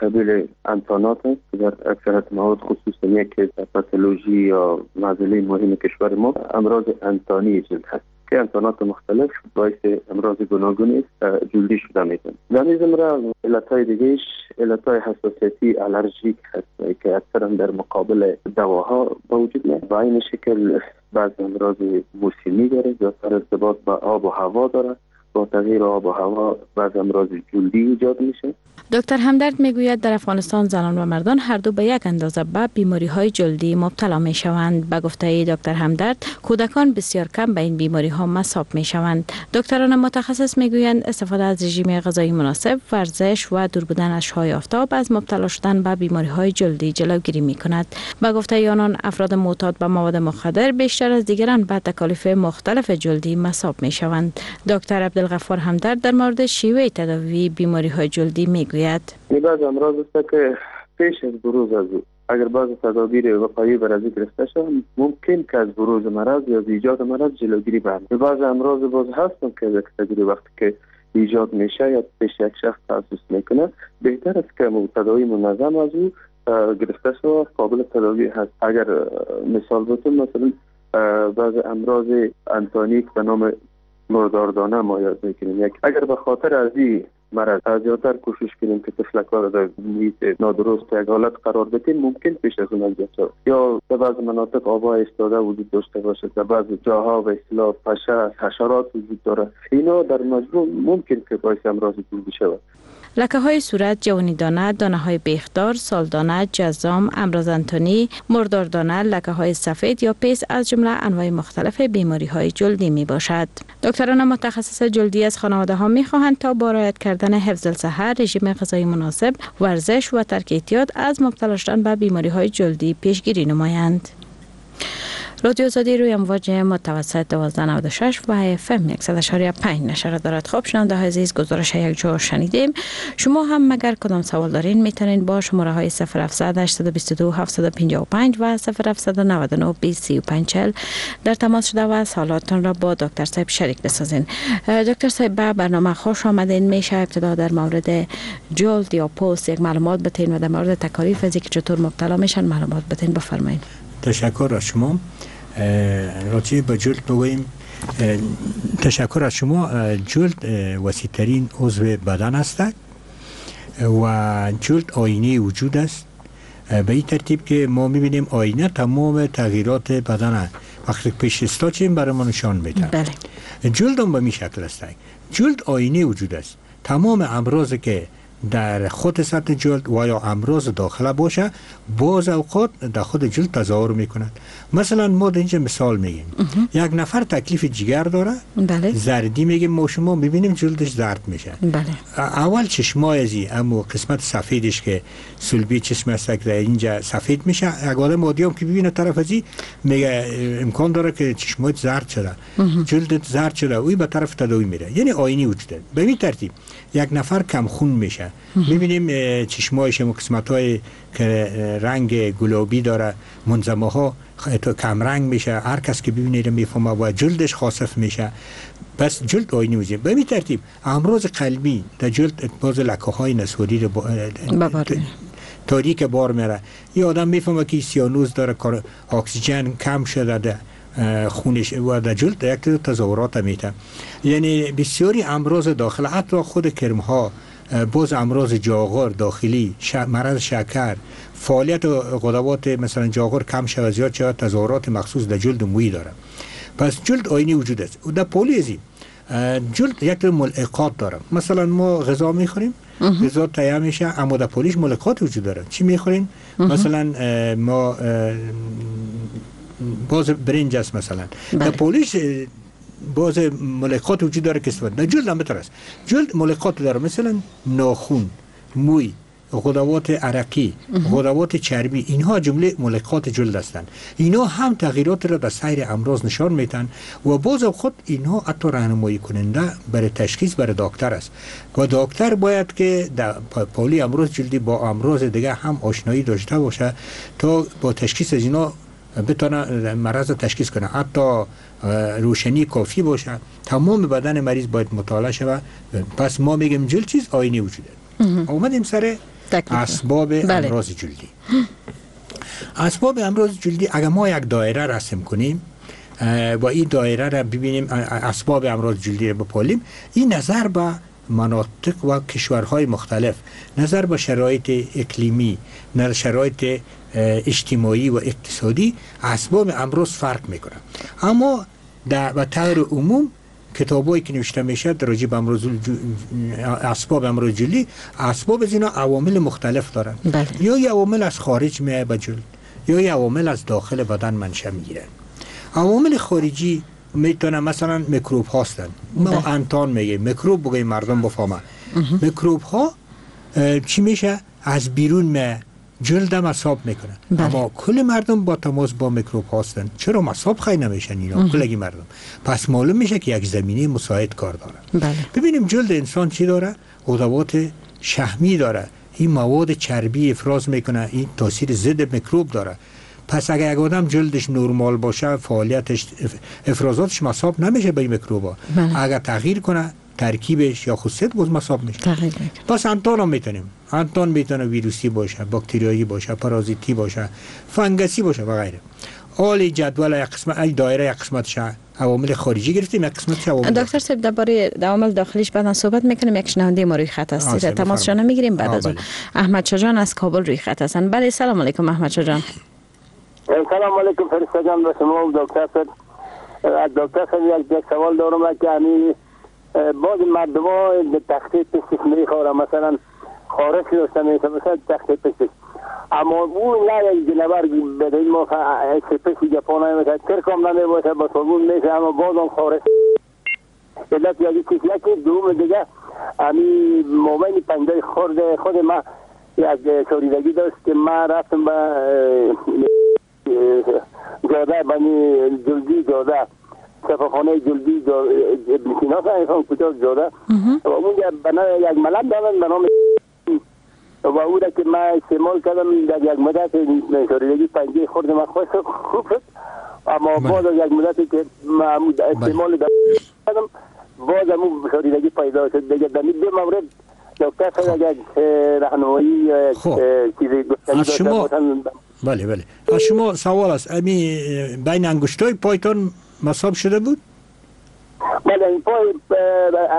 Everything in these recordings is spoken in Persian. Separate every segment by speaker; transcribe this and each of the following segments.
Speaker 1: قبیل انتانات است که در اکثرت موارد، خصوصا یک پاتولوژی یا معضله مهم کشور ما، امراض انتانی جلد هست که انتانات مختلف باعث امراض گوناگون جلدی شده میتونه. در این زمره علت‌های دیگهش علت‌های حساسیتی الرژیک هست که اکثرا در مقابل دواها به وجود میاد. با این شکل بعض امراض موسمی داره، زیادتر ارتباط با آب و هوا داره. با تغییر آب و هوا بعض امراض جلدی ایجاد میشه.
Speaker 2: دکتر همدرد میگوید در افغانستان زنان و مردان هر دو به یک اندازه به بیماری های جلدی مبتلا می شوند. به گفته دکتر همدرد کودکان بسیار کم به این بیماری ها مصاب می شوند. دکتران متخصص میگویند استفاده از رژیم غذایی مناسب، ورزش و دور بودن از شعاع آفتاب از مبتلا شدن به بیماری های جلدی جلوگیری می کند. به گفته آنان افراد معتاد به مواد مخدر بیشتر از دیگران به تکالیف مختلف جلدی مصاب می شوند. دکتر عبدالغفار همدرد در مورد شیوه تداوی بیماری های جلدی میگوید
Speaker 1: بعض امراض است که پیش از بروز از او اگر بعض تدابیر وقایعی بر از گرفته شود ممکن که از بروز مرض یا از ایجاد مرض جلوگیری برد. بعض امراض باز هستن که یک تجربه وقتی که ایجاد میشه یا پیش یک شخص تاسیس میکنه بهتر است که تداوی منظم از او گرفته شود، قابل تداوی هست. اگر مثال بتون مثلا بعض امراض انتانیک به نام مرداردانه ما یاد میکنیم، یک اگر به خاطر از این مرض زیادتر کوشش کنیم که طفلک‌ها را در محیط نادرست یک حالت قرار بدیم ممکن پیش از اون ایجاد شود. یا در بعض مناطق آب‌های ایستاده وجود داشته باشه، در بعض جاها به اصطلاح پشه حشرات وجود داره، اینا در مجموع ممکن که باعث امراض جلدی شود.
Speaker 2: لکه های صورت، جوانی دانه، دانه های بیخدار، سالدانه، جزام، امراض انتانی، مرداردانه، لکه های سفید یا پیس از جمله انواع مختلف بیماری های جلدی می باشد. دکتران متخصص جلدی از خانواده ها می خواهند تا با رعایت کردن حفظ الصحه، رژیم غذایی مناسب، ورزش و ترک اعتیاد از مبتلا شدن به بیماری های جلدی پیشگیری نمایند. رادیو آزادی روی امواج متوسط 1296 و FM 100.5 نشر دارد. خب شنونده های عزیز، گزارش یک جا شنیدیم. شما هم مگر کدام سوال دارین میتونین با شماره های 0700 822 755 و 0799 2035 در تماس شده و سوالاتتان را با دکتر صاحب شریک بسازین. دکتر صاحب به برنامه خوش آمدین. میشه ابتدا در مورد جلد یا پوست یک معلومات بتین و در مورد تکالیف از اینکه چطور مبتلا میشن معلومات بتین، بفرمایید.
Speaker 3: تشکر از شما. راجع به جلد بگوییم. تشکر از شما. جلد وسیع‌ترین عضو بدن است و جلد آینه وجود است، به این ترتیب که ما میبینیم آینه تمام تغییرات بدن وقتی پیش استاچیم برای ما نشان میده.
Speaker 2: بله.
Speaker 3: جلد هم به می شکل است. جلد آینه وجود است. تمام امراض که در خود سطح جلد و یا امراض داخله باشه باز اوقات در خود جلد تظاهر میکند. مثلا ما در اینجا مثال میگیم یک نفر تکلیف جگر داره،
Speaker 2: بله.
Speaker 3: زردی میگیم ما شما میبینیم جلدش زرد میشه.
Speaker 2: بله.
Speaker 3: اول چشمای ازی اما قسمت سفیدش که سلبی چشم است که در اینجا سفید میشه، یک آدم عادی هم که ببینه طرف ازی میگه امکان داره که چشمات زرد شده، جلدت زرد شده، اوی به طرف تداوی میره. یعنی آینه وجود. به این ترتیب یک نفر کم خون میشه، میبینیم چشمایش و قسمت که رنگ گلابی داره، منظمه ها کم رنگ میشه، هر کس که ببینه میفهمه و جلدش خاصف میشه. پس جلد آینه وجود. به این ترتیب امراض قلبی در جلد باز لکه های نسوری رو تاریک بار میره. یه آدم میفهمه که سیانوز داره، اکسیژن کم شده ده خونش و در جلد یک تظاهرات میته. یعنی بسیاری امراض داخل، حتی خود کرم ها، باز امراض جاغور داخلی، مرض شکر، فعالیت غدوات مثلا جاغور کم شود زیاد شود، تظاهرات مخصوص در جلد مویی داره. پس جلد آینه وجود است. و در پولیزی جلد یک ملعقات داره. مثلا ما غذا میخوریم، غذا تهیه میشه، اما در پولیش ملعقات وجود داره. چی میخوریم؟ مثلا ما باز برنج است مثلا، در پولیش باز ملقات وجود داره که استفاده. در جلد هم بهتر است. جلد ملقات داره، مثلا ناخن، موی، غدوات عرقی، غدوات چربی، اینها جمله ملقات جلد هستند. اینها هم تغییرات را در سیر امراض نشان میتن و باز خود اینها حتی راهنمایی کننده برای تشخیص برای دکتر است و دکتر باید که در پالی امراض جلدی با امراض دیگه هم آشنایی داشته باشه تا با تشخیص از اینا بتونه مرض تشخیص کنه. حتی روشنی کافی باشه، تمام بدن مریض باید مطالعه شود. پس ما میگیم جلد چیز آینه وجوده. اومدیم سر اسباب امراض جلدی. اسباب امراض جلدی اگر ما یک دایره رسم کنیم و این دایره را ببینیم، اسباب امراض جلدی را بپالیم، این نظر به مناطق و کشورهای مختلف، نظر به شرایط اقلیمی، نظر شرایط اجتماعی و اقتصادی، اسباب امراض فرق میکنه. اما در به طور عموم کتابایی که نوشته میشه در راجع به امراض اسباب امراض جلدی، اسباب از اینا عوامل مختلف دارن.
Speaker 2: بله.
Speaker 3: یا یه عوامل از خارج میاد به جلد، یا یه عوامل از داخل بدن منشأ میگیرن. عوامل خارجی میتونه مثلا میکروب هستن. ما انتان میگیم میکروب، بگیم مردم بفهمن. میکروب ها چی میشه؟ از بیرون می جلد مصاب میکنه.
Speaker 2: بله.
Speaker 3: اما کل مردم با تماس با میکروب هستن، چرا مصاب خیلی نمیشن اینا؟ کلگی مردم. پس معلوم میشه که یک زمینه مساعد کار داره.
Speaker 2: بله.
Speaker 3: ببینیم جلد انسان چی داره؟ غدوات شحمی داره، این مواد چربی افراز میکنه، این تاثیر ضد میکروب داره. پس اگر یک آدم جلدش نرمال باشه، فعالیتش افرازاتش مصاب نمیشه به این میکروبا.
Speaker 2: بله.
Speaker 3: اگر تغییر کنه ترکیبش یا خصوصیت، باز مصاب میشه.
Speaker 2: تغییر میکنه.
Speaker 3: پس انتان هم میتونیم، انتان میتونه ویروسی باشه، باکتریایی باشه، پارازیتی باشه، فنگسی باشه و غیره. آل جدول یک قسمت، ای دایره یک قسمتش عوامل خارجی گرفتیم، یک قسمتش عوامل
Speaker 2: دکتر صاحب درباره عوامل داخلیش بعدا صحبت میکنیم. یک شنونده ما روی خط هست، تماسشان میگیریم بعد از اون. احمد شاه جان از کابل روی خط هستن. بله، سلام علیکم احمد شاه جان.
Speaker 4: سلام علیکم فرشته جان، به شما و دکتر صاحب. از دکتر صاحب یک سوال دارم که همین بعض مردم ها به تخته پشتش میخورن، مثلا خارش داشته میشه، مثلا تخته پشتش، اما اون نه یک جنور به این موقع پشت جاپان مثلا کرکم نمی باشه، با صابون میشه، اما بازم خارش. علت یکی چیز، یکی دوم دیگه همین موبایل پنجه خورد خود ما یک شوریدگی داشت که ما رفتم به جاده بنی جلدی جاده، شفاخانه جلدی ابن سینا فهم کجا جاده، و اونجا بنا یک ملم دادن به نام و او را که ما استعمال کردم در یک مدت شوریدگی پنجه خورد ما خوب شد، اما بعد از یک مدتی که ما استعمال کردم باز هم شوریدگی پیدا شد دیگه. در دو مورد دکتر صاحب یک راهنمایی چیزی گفتنی داشته.
Speaker 3: بله بله، از شما سوال است، امی بین انگشتای پایتان مصاب شده بود؟
Speaker 4: بله، این پای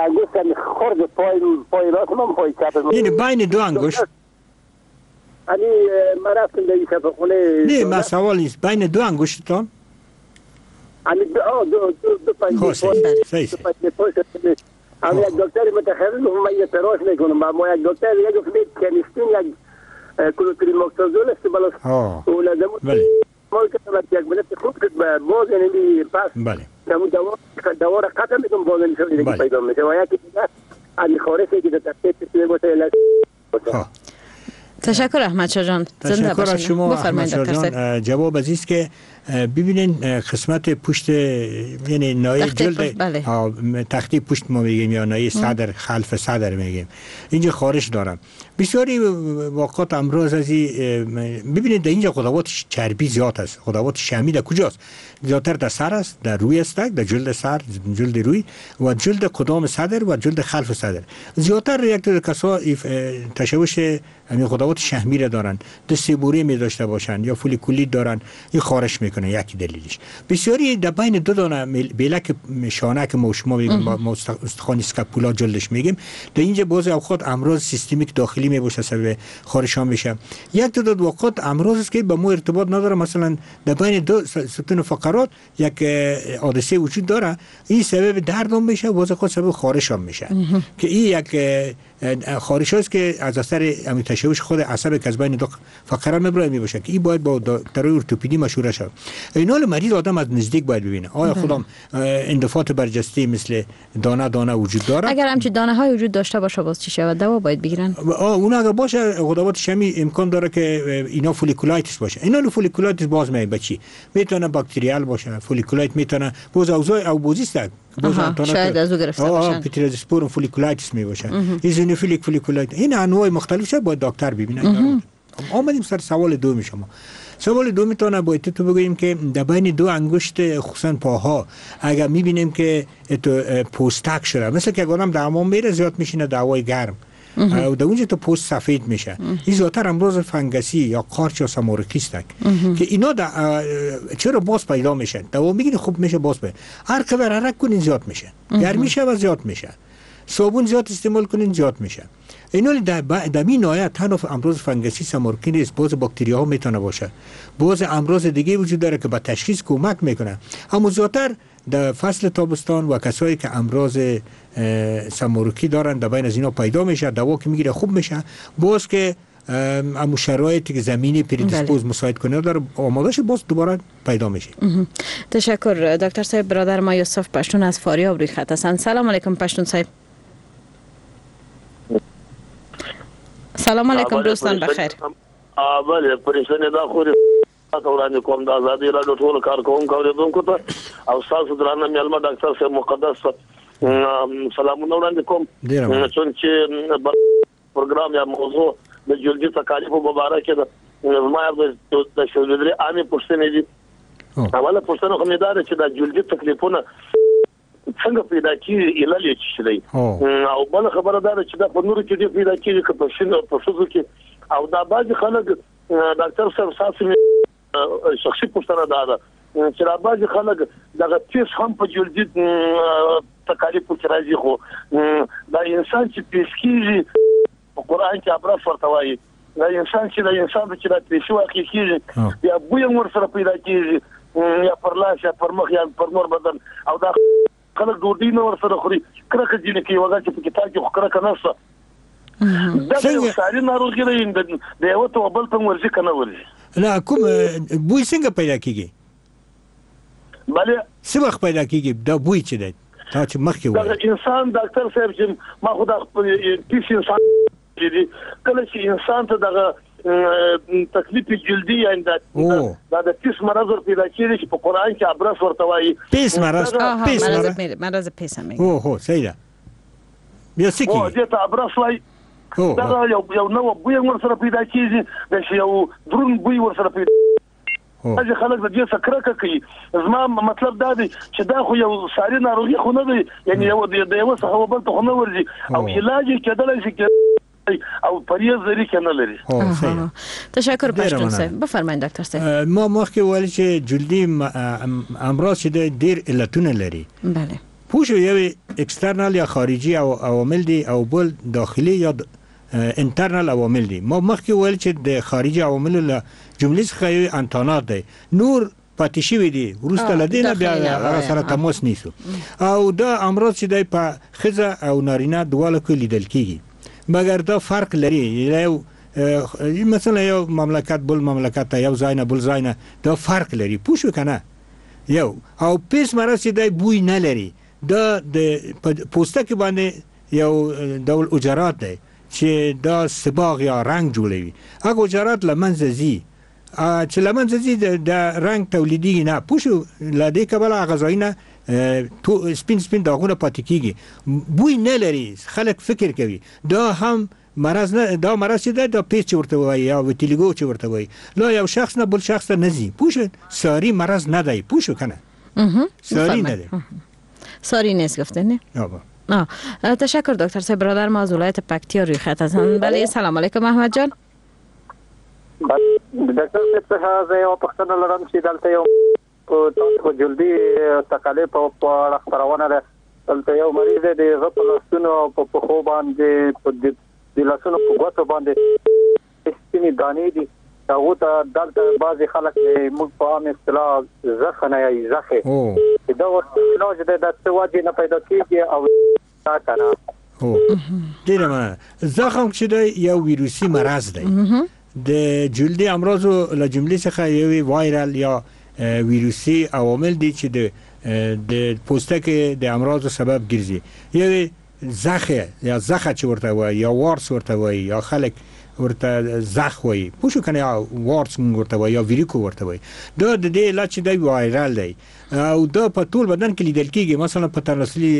Speaker 4: انگشت خورد پای راست من، پای چپ من،
Speaker 3: یعنی بین دو انگشت.
Speaker 4: یعنی من رفتم در شفاخانه.
Speaker 3: نه، من سوال نیست، بین دو انگشتتان؟
Speaker 4: یعنی دو پنجه پای. اما یک دکتر متخصص گفت من یه تراش میکنم، اما یک دکتر دیگه گفت کنیستین یک کلوتریموکسازول است بلا اون
Speaker 3: بله
Speaker 4: مال که یک مدت خوب شد، باز یعنی پس
Speaker 3: بله
Speaker 4: دوا را قطع میکنم، باز یعنی دیگه پیدا میشه و یکی دیگه از خارشی که در تخته باشه.
Speaker 2: تشکر احمد شاه جان، زنده
Speaker 3: تشکر از شما احمد شاه جان. جواب از است که ببینین قسمت پشت، یعنی نایه جلد،
Speaker 2: بله.
Speaker 3: تختی پشت ما میگیم یا نایه صدر، خلف صدر میگیم، اینجا خارش دارم. بسیاری واقعات امراض از ببینید در اینجا غدوات چربی زیاد است. غدوات شحمی در کجاست؟ زیادتر در سر است، در روی است، در جلد سر، جلد روی و جلد قدام صدر و جلد خلف صدر. زیادتر یک کسا تشوش همین غدوات شحمی را دارن، دست بوری می داشته باشن یا فولیکولیت دارن، این خارش میکنه. یکی دلیلش بسیاری در بین دو دانه بیلک شانه که ما شما میگیم ما استخوان اسکاپولا جلدش میگیم، در اینجا بعضی اوقات امراض سیستمیک داخلی میباشه سبب خارش هم میشه. یک تعداد اوقات امراض است که با ما ارتباط نداره، مثلا در بین دو ستون فقرات یک حادثه وجود داره، این سبب درد هم میشه و بعضی اوقات سبب خارش هم میشه که این یک خارش است که از اثر تشوش خود عصب که از بین دو فقره میبره میباشه که این باید با دکتر ارتوپدی مشوره شود. اینال مریض آدم از نزدیک باید ببینه آیا خودم اندفاعات برجسته مثل دانه دانه وجود داره.
Speaker 2: اگر همچین دانه های وجود داشته باشه باز چی شود؟ دوا باید بگیرن.
Speaker 3: اون اگر باشه غدوات شمی امکان داره که اینا folliculitis باشه. اینا folliculitis باز می بچی میتونه bacterial باشه، folliculitis میتونه باز اوضاع اوبوزی است، باز
Speaker 2: شاید از او گرفته باشن،
Speaker 3: Pityrosporum folliculitis می باشه، eosinophilic folliculitis، این انواع مختلف شه باید دکتر ببینه. آمدیم سر سوال دوم شما. سوال دوم میتونه باید تو بگوییم که در بین دو انگشت خصوصا پاها اگر میبینیم که پوستک شده، مثل که آدم در حمام میره زیاد میشینه دعوای گرم، او در اونجا تو پوست سفید میشه. این زیادتر امراض فنگسی یا قارچ یا سمارکی است که اینا چرا باز پیدا میشن. دوا میگیری خوب میشه، باز پیدا. هر قدر حرکت کنین زیاد میشه، گرمی شه و زیاد میشه، صابون زیاد استعمال کنین زیاد میشه. اینا در این نهایت تنها امراض فنگسی سمارکی نیست، باز باکتری ها میتونه باشه، باز امراض دیگه وجود داره که به تشخیص کمک میکنه. اما زیادتر در فصل تابستان و کسایی که امراض سمارکی دارن در بین از اینا پیدا میشه، دوا که میگیره خوب میشه. باز که امو شرایطی که زمینی predisposed مساعد کنه داره آماده شه، باز دوباره پیدا میشه.
Speaker 2: تشکر دکتر صاحب. برادر ما یوسف پشتون از فاریاب روی خط هستند. سلام علیکم پشتون صاحب. سلام علیکم دوستان، بخیر.
Speaker 5: بله پرېشانې دا خو تاسو وړاندې کوم د ازادي راډیو ټولو کارکوونکو اورېدونکو ته او ستاسو درانه مېلمه ډاکټر صاحب مقدس سلامونه وړاندې کوم. چون چې پروګرام یا موضوع د جلدي تکالیفو په باره کې ده، زما د شلو درې عامې پوښتنې دي. اوله پوښتنه خو مې دا ده چې دا جلدي تکلیفونه څنګه پیدا کېږي، علل یې څه دی؟ او بله خبره دا ده چې دا په نورو کې ډېر پیدا کېږي که په ښځو کې. او دا بعضې خلک ډاکټر صاحب ستاسو مې شخصي پوښتنه دا ده چې دا بعضې خلک دغه پیس هم په جلدي تکالیفو کې راځي، خو دا انسان چې پیس کېږي په قرآن کې ابرس ورته وایي، دا انسان چې دا انسان ته چې دا پیسې واقع کېږي یا بوی هم ورسره پیدا کېږي، یا پر لاس یا پر مخ یا پر نور بدن، او دا خلک ډوډۍ نه ورسره خوري، کرکه ځینې کوي، وګړه چې په کتاب کې خو کرکه نشته. دا یو ساري ناروغي ده، د یوه ته بل ته ورځي که نه ورځي؟
Speaker 3: نه کوم بوی څنګه پیدا کېږي؟
Speaker 5: بله
Speaker 3: څه وخت پیدا کېږي دا بوی چې دی تا چې مخکې وویل؟
Speaker 5: دغه انسان ډاکټر صاحب چې ما خو دا پیس انسان دي، کله چې انسان ته دغه تکلیف جلدی یعنی دا د پیس مرض ور پیدا کېږي چې په قرآن کې ابرس ورته وایي.
Speaker 3: پیس مرض، پیس مرض،
Speaker 2: مرض پیس هم میگه.
Speaker 3: هو هو صحیح ده. بیا څه کېږي؟
Speaker 5: دې ته ابرس وایي. دغه یو نوع بوی هم ورسره پیدا کېږي، داسې یو دروند بوی ورسره پیدا. بعضې خلک د دې څخه کرکه کوي. زما مطلب دا دی چې دا خو یو ساري ناروغي خو نه دی، یعنې د یوه څخه بل ته خو نه ورځي، او علاج یې کېدلی شي او پرهیز لري که نه لري.
Speaker 2: تشکر پشتون صاحب. بفرمایید دکتر صاحب.
Speaker 3: ما مخکې ویل چې جلدي امراض چې دی ډېر علتونه لري.
Speaker 2: بله.
Speaker 3: پوه شو، یو external یا خارجي عوامل دي او بل داخلي یا internal عوامل دي. ما مخکې ویل چې د خارجي عواملو له جملې څخه یو انتانات دی، نور پاتې شوي دي، وروسته له دې نه بیا هغه سره تماس نیسو. او دا امراض چې دی په ښځه او نارینه دواړو کې لیدل کېږي، مګر دا فرق لري. یو مثلا یو مملکت بل مملکت ته، یو ځای نه بل ځای نه، دا فرق لري. پوه شو که نه؟ یو او پیس مرض چې دی بوی نه لري، دا د پوستکي باندې یو ډول اجرات دی چې دا صباغ یا رنګ جوړوي. هغه اجرات له منځه ځي، چې له منځه ځي د رنګ تولیدېږي نه. پوه شو، له دې کبله هغه ځایونه سپین سپین داغونه پاتې کېږي، بوی نه لري. خلک فکر کوي دا هم مرض نه، دا مرض چې دی دا پیس چې ورته وایي یا vitiligo چې ورته وایي، لا یو شخص نه بل شخص ته نه ځي. پوه شو، ساري مرض نه دی. پوه شو که نه؟ ساري نه دی.
Speaker 2: ساری نیست گفته نه؟ تشکر دکتر صاحب. برادر ما از ولایت پکتیا روی خط هستند. بله سلام علیکم احمد جان.
Speaker 1: دکتر صاحب څخه زه یوه پوښتنه لرم چې دلته یو تاسو جلدي تکالیف په اړه خپرونه ده. دلته یو مریض دی، د هغه په لاسونو او په پښو باندې، د لاسونو په ګوتو باندې سپینې دانې دي. هغو ته دلته بعضې خلک موږ په عام اصطلاح زخه نه یایي، زخې، چې دا ورته علاج دی، دا څه وجې نه پیدا کېږي او دا که نه؟
Speaker 3: ډېره مننه. زخم چې دی یو ویروسي مرض دی. د جلدي امراضو له جملې څخه یو viral یا ویروسي عوامل دي چې د پوستکي د امراضو سبب ګرځي. یو زخه یا زخه چې ورته وایي یا warts ورته وایي یا خلک ورته زخ وایي، پوه شو که نه، یا warts مونږ ورته وایي یا ویریکو ورته وایي. دا د دې علت چې دی viral دی او دا په ټول بدن کې لیدل کېږي. مثلا په تناسلي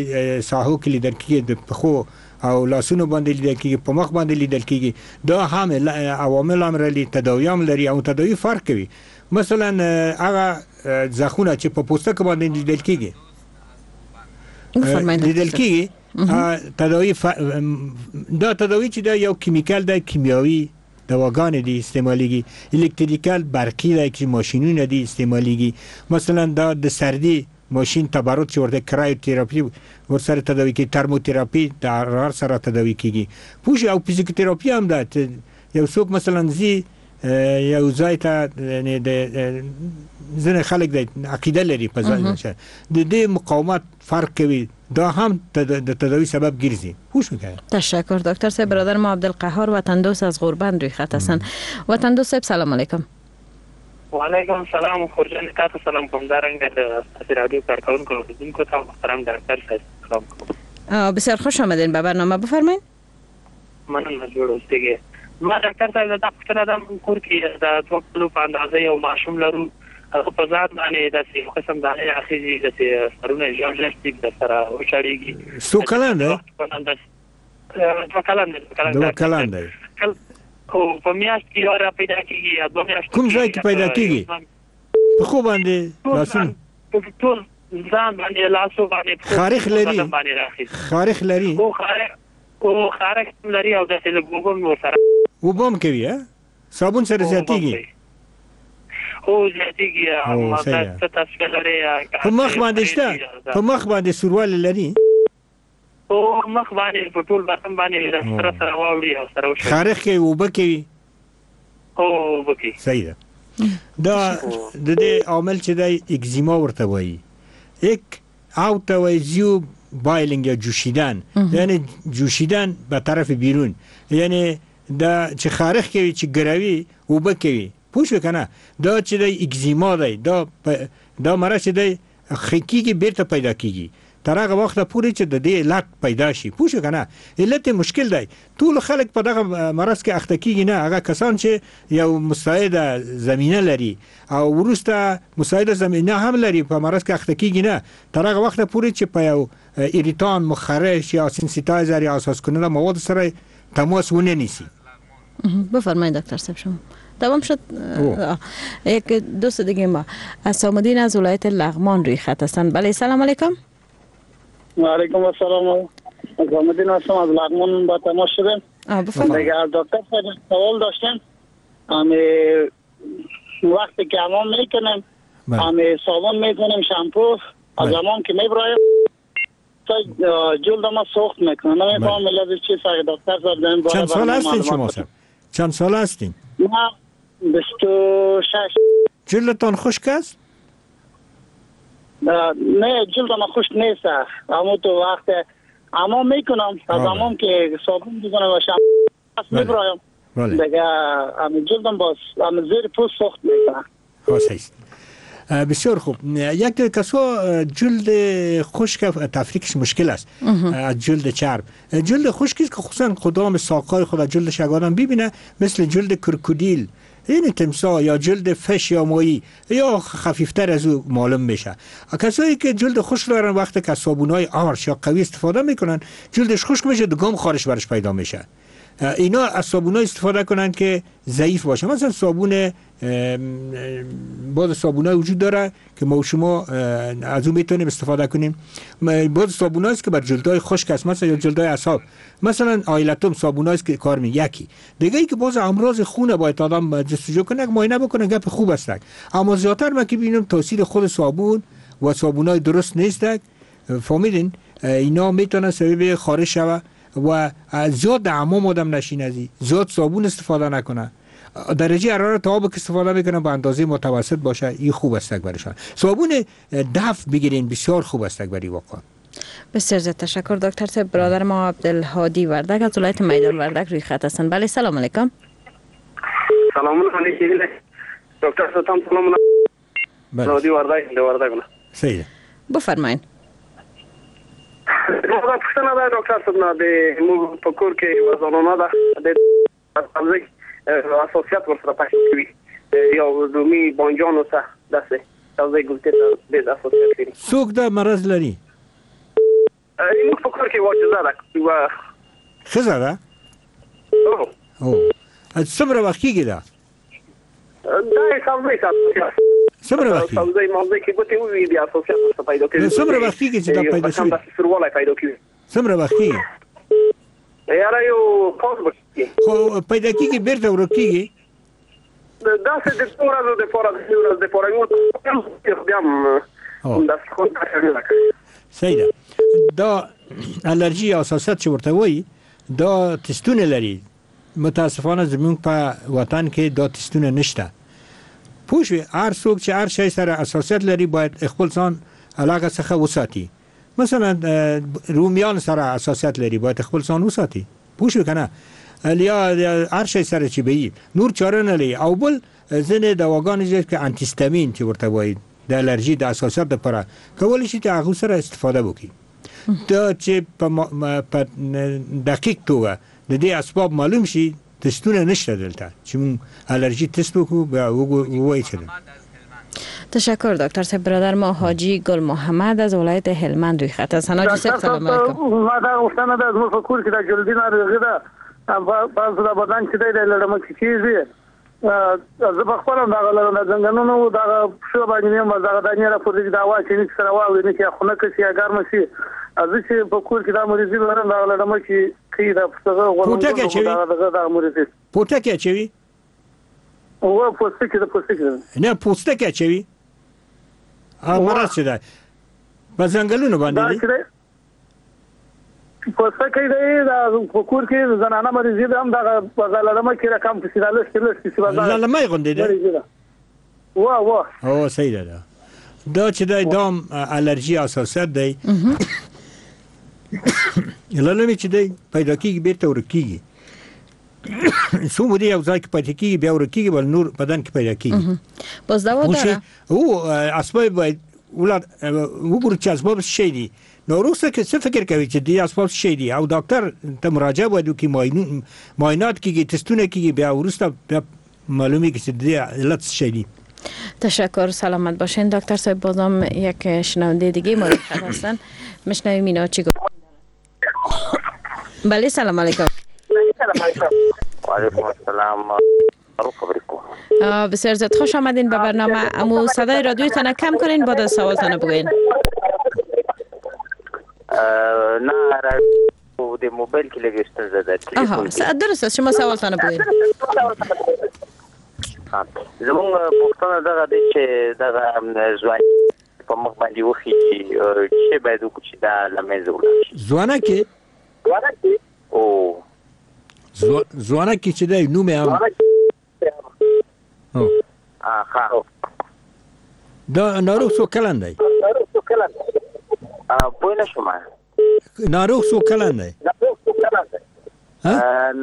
Speaker 3: ساحو کې لیدل کېږي، د پښو او لاسونو باندې لیدل کېږي، په مخ باندې لیدل کېږي. دا هم عوامل هم لري، تداوي هم لري او تداوي فرق کوي. مثلا هغه زخونه چې په پوستکي باندې لیدل کېږي، لیدل کېږي تداوی دا تداوی چې دا یو chemical دی، کیمیاوي دواګانې دي استعمالیږي، electrical برقي دی چې ماشینونه دي استعمالیږي. مثلا دا د سردي ماشین تبرد چې ورته cryotherapy ورسره تداوی کیږي، thermotherapy د حرارت سره تداوی کیږي، پوه شوې؟ او فزیوتراپي هم ده. یو څوک مثلا ځي یو ځای ته، یعنې د ځینې خلک د عقیده لري په ځای د دې مقاومت فرق کوي، دا هم د تداوی سبب ګرځي. پوه شوې که؟
Speaker 2: تشکر دکتر صاحب. برادر ما عبدالقهار وطندوست از غوربند روی خط هستند. وطندوست صاحب سلام علیکم.
Speaker 6: وعلیکم السلام خورجان، تاسو سلام کوم. دا رنګه د ستاسو رادیو کارکوونکو اورېدونکو ته محترم ډاکټر صاحب سلام کوم.
Speaker 2: بسیار خوش آمدین به برنامه، بفرمایید.
Speaker 6: مننه، جوړ اوسئ. ما ډاکټر صاحب دا پوښتنه ده، موږ کور کې د 2 کلو په اندازه یو ماشوم لرو، هغه په ځان باندې داسې یو قسم دانې راخیږي، داسې سرونه یې ژر ژر تیږ در سره وشړېږي.
Speaker 3: څو کلن دی؟
Speaker 6: 2 کلن دی.
Speaker 3: 2 کلن دی.
Speaker 6: خو په میاشت کې یو را پیدا کېږي یا 2 میاشتې.
Speaker 3: کوم ځای کې پیدا کېږي؟ پښو باندې، لاسونو؟
Speaker 6: ټول ځان باندې، لاسو باندې.
Speaker 3: خارښ لري؟ خارښ لري؟
Speaker 6: او خارښ هم لري او داسې لږ اوبه هم ورسره.
Speaker 3: اوبه هم کوي؟ صابون سره زیاتېږي؟
Speaker 6: هو زیاتېږي. څه تصویر لري؟
Speaker 3: په مخ باندې شته؟ په مخ باندې سوروالی لري؟
Speaker 6: او مخ باندې په ټول بدن باندې سره سره واوړي او سره وشي.
Speaker 3: خارښ کوي، اوبه کوي؟
Speaker 6: هو اوبه کوي.
Speaker 3: صحیح ده. دا د دې عامل چې دی اکزیما ورته وایي، یک او ته وایي زیو بایلینګ یا جوشیدن، یعنی جوشیدن به طرف بیرون، یعنی دا چې خارښ کوي، چې ګروي، اوبه کوي، پوه شوې که نه؟ دا چې دی اکزیما دی، دا مرض چې دی ښه کېږي بیرته پیدا کېږي تر هغه وخته پورې چې د دې علت پیدا شي، پوه شوې که نه؟ علت یې مشکل دی. ټول خلک په دغه مرض کې اخته کېږي نه، هغه کسان چې یو مساعده زمینه لري او وروسته مساعده زمینه هم لري په مرض کې اخته کېږي نه، تر هغه وخته پورې چې په یو irritant، مخرش یا sensitizer یا حساس کننده مواد سره تماس ونه نیسي.
Speaker 2: بفرمایید دکتر صاحب شما. تمام شد. یک دوست دیگه ما حسام از ولایت لغمان روی خط هستند. بله سلام علیکم.
Speaker 7: و علیکم السلام. حسام هستم از لغمان با تماس شدیم. دیگه از دکتر سوال داشتیم. همی وقتی که حمام میکنیم، همی صابون میکنیم، شامپو از حمام که میبرایم جلد ما سوخت میکنه. نمیفهمم علت چی. دکتر صاحب
Speaker 3: چند سال هستین شما صاحب؟ چند سال هستین؟
Speaker 7: ما 26.
Speaker 3: جلدتان خشک است؟
Speaker 7: نه جلد ما خشک نیست. اما تو وقت حمام میکنم، از حمام که صابون میزنم و شامپو میبرایم دیگه جلدم باز زیر پوست سوخت میکنه.
Speaker 3: صحیح. بسیار خوب. یک کسا جلد خشک تفریقش مشکل است از جلد چرب. جلد خشک است که خصوصا قدام ساقای خود جلدش اگر آدم ببینه مثل جلد کرکودیل، این تمساح یا جلد فش یا ماهی یا خفیفتر از او معلوم میشه. کسایی که جلد خشک دارن وقتی که صابونای آرش یا قوی استفاده میکنن جلدش خشک میشه، دگام خارش برش پیدا میشه. اینا از صابونای استفاده کنن که ضعیف باشه. مثلا صابون، بعض صابونای وجود داره که ما و شما از اون میتونیم استفاده کنیم. بعض صابونایی است که بر جلدهای خشک است، مثلا یا جلدهای اعصاب، مثلا آیلتوم صابونایی است که کار می. یکی دیگه ای که باز امراض خونه باید آدم جستجو کنه، معاینه بکنه، گپ خوب است. اما زیادتر من که ببینم تاثیر خود صابون و صابونای درست نیست. فهمیدین؟ اینا میتونن سبب خارش شوه و زیاد در حمام آدم نشینه، زیاد صابون استفاده نکنه، درجه حرارت آب که استفاده میکنه به اندازه متوسط باشه، این خوب است برایشان. صابون دف بگیرین بسیار خوب است برای واقعا.
Speaker 2: بسیار زیاد تشکر دکتر صاحب. برادر ما عبدالهادی وردک از ولایت میدان وردک روی خط هستند. بله سلام علیکم.
Speaker 8: سلام علیکم دکتر صاحب. سلام علیکم. هادی وردک وردک.
Speaker 3: صحیح
Speaker 2: بفرمایید.
Speaker 8: دا پوښتنه ده ډاکټر صاحب نه د موږ په کور کې یوه زنانه ده د سبزۍ حساسیت ورسره پیدا کوي، یو رومي بانجان ورته داسې سبزۍ ګلتې ته ډېر حساسیت لري.
Speaker 3: څوک دا مرض لري؟
Speaker 8: موږ په کور کې یوه ښځه ده. یوه
Speaker 3: ښځه ده؟ هو. څومره وخت کېږي دا؟
Speaker 8: دا یې سبزۍ
Speaker 3: څومره وخت کېږي؟
Speaker 8: سبزۍ مغزۍ کې ګوتې ووي بیا حساسیت ورته پیدا کوي.
Speaker 3: څومره وخت کېږي چې دا پیدا شوی؟
Speaker 8: داسې سوروالی پیدا کوي.
Speaker 3: څومره وخت کېږي؟
Speaker 8: یاره یو کال به کېږي.
Speaker 3: خو پیدا کېږي بیرته ورک کېږي؟
Speaker 8: داسې د څو ورځو دپاره، د درې ورځو دپاره یو بیا هم داسې خو نه ده کړې.
Speaker 3: صحیح ده. دا الرژي حساسیت چې ورته وایي دا تستونه لري. متاسفانه زموږ په وطن کې دا تستونه نشته. پوه شوې؟ هر څوک چې هر شی سره حساسیت لري باید خپل ځان علاقه څخه وساتي. مثلا رومیان سره حساسیت لري باید خپل ځان وساتي. پوه شوې که نه؟ یا هر شی سره چې به یي نور چاره نه لري. او بل ځینې دواګانې چې که انتیستامین چې ورته وایي د الرژي د حساسیت لپاره کولی شي چې هغه سره استفاده وکړي. دا چې په دقیق توګه د دې اسباب معلوم شي تستونه نشته دلته چې موږ الرژي تست وکړو بیا ووایي چې.
Speaker 2: تشکر دکتر صاحب. برادر ما حاجی گل محمد از ولایت هلمند روی خط هستن. حاجی صاحب سلام علیکم.
Speaker 7: ما دا غوښتنه ده زموږ په کور کې د جلدي ناروغي ده، بعض د بدن چې دی د لړمه کې کېږي. زه په خپله هم دغه لرم، د ځنګنونو دغه پښو باندې مې هم دغه دانې راپورته دي، دا هوا چې نه سره واوري نه چې خنکه شي یا ګرمه شي. زه چې په کور کې دا مریضي لرم، دغه لړمه کې کوي، دا دغه
Speaker 3: پوټکی اچوي،
Speaker 7: دغه مریضي
Speaker 3: پوټکی اچوي.
Speaker 7: هو پوستکی ده، پوستکی ده.
Speaker 3: نه پوستکی اچوي. مرض چې دی په ځنګلونو باندې دی،
Speaker 7: پوستکی دی. دا په کور کې زنانه مریضي ده هم دغه په لړمه کې رقم پسې دا لږ لږ پسې
Speaker 3: لړمه غوندې ده.
Speaker 7: وا وا
Speaker 3: او صحیح ده. دا چې دی دام الرژي حساسیت دی. لړمې چې دی پیدا کېږي بیرته ورک کېږي. څو مودې یو ځای کې پاتې کېږي بیا ورک کېږي بل نور بدن کې پیدا کېږي.
Speaker 2: باز دوا داره؟
Speaker 3: او اسباب باید وګورو چې اسباب څه شی دي. نو وروسته که څه فکر کوي چې دې اسباب څه شی دي او ډاکټر ته مراجعه باید وکړي، معاینات کېږي، تستونه کېږي، بیا وروسته بیا معلومیږي چې دې علت څه شی دي.
Speaker 2: تشکر، سلامت باشین دکتر صاحب. بازم یک شنونده دیگه ما هستن، میشنویم اینا چی گفت. بله سلام علیکم.
Speaker 4: وعلیکم السلام.
Speaker 2: بسیار زیاد خوش آمدین به برنامه. امو صدای رادیوتان کم کنین بعد از سوالتان بگوین.
Speaker 4: نه د موبایل کې لږ ستونزه ده.
Speaker 2: آها درست است، شما سوالتان بگوین.
Speaker 4: زمونږ پوښتنه دغه دی چې دغه ځواني په مخ باندې وخیږي، چې باید وکړو چې دا له منځه ولاړ شي؟
Speaker 3: ځوانه کې
Speaker 4: او
Speaker 3: ځوانه کې چې دی نوم یې هم دا ناروغ څو کلن دی؟
Speaker 4: پوه نه شوم.
Speaker 3: ناروغ څو کلن دی؟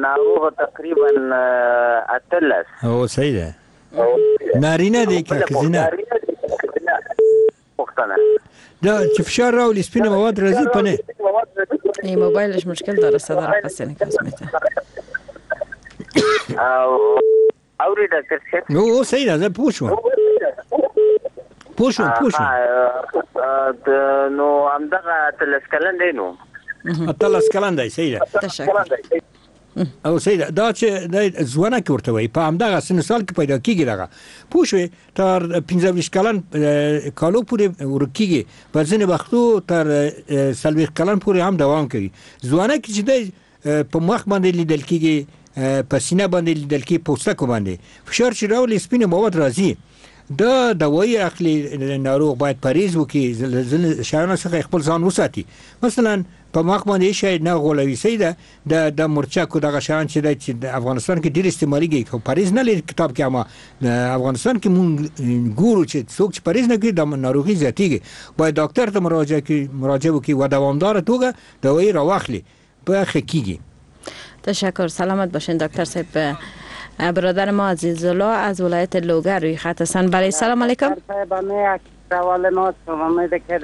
Speaker 4: ناروغ تقریبا 18.
Speaker 3: او صحیح ده. نارینه دی که ښځینه؟
Speaker 4: پوښتنه
Speaker 3: دا چې فشار راولي سپینه مواد راځي په نه؟
Speaker 2: این موبایلش مشکل داره، صدا را پس انعکاس میده.
Speaker 4: اوري ډاکټر صاحب؟
Speaker 3: نو صحیح ده، زه پوه شوم. پوه شوم.
Speaker 4: نو همدغه 18 کلن دی. نو
Speaker 3: 18 کلن دی، صحیح ده.
Speaker 2: تشکر.
Speaker 3: او صحیح ده. دا چې د ځوانه کې ورته وایي په همدغه سن سال کې پیدا کېږي. دغه پوه شوې تر 25 کلن کالو پورې ورک کېږي، په ځینې وختو تر 40 کلن پورې هم دوام کوي. ځوانه کې چې دی په مخ باندې لیدل کېږي، په سینه باندې لیدل کېږي، پوستکو باندې فشار چې راولي سپینه مواد راځي. دا دوایي اخلي ناروغ باید پرهیز وکړي، ځینې شیانو څخه خپل ځان وساتي. مثلا په مخ باندې شی نه غولوي، صحیح ده. د مرچکو دغه شیان چې دی چې د افغانستان کې ډېر استعمالېږي، خو پرهیز نه لري کتاب کې. اما افغانستان کې مونږ ګورو چې څوک چې پرهیز نه کوي د ناروغي زیاتېږي. باید ډاکټر ته مراجعه وکړي و دوامداره توګه دوایي راواخلي، بیا ښه کېږي.
Speaker 2: تشکر، سلامت باشین دکتر صاحب. برادر ما عزیزالله از ولایت لوگر روی خط هستن. بله سلام علیکم.
Speaker 7: سوال ما امید که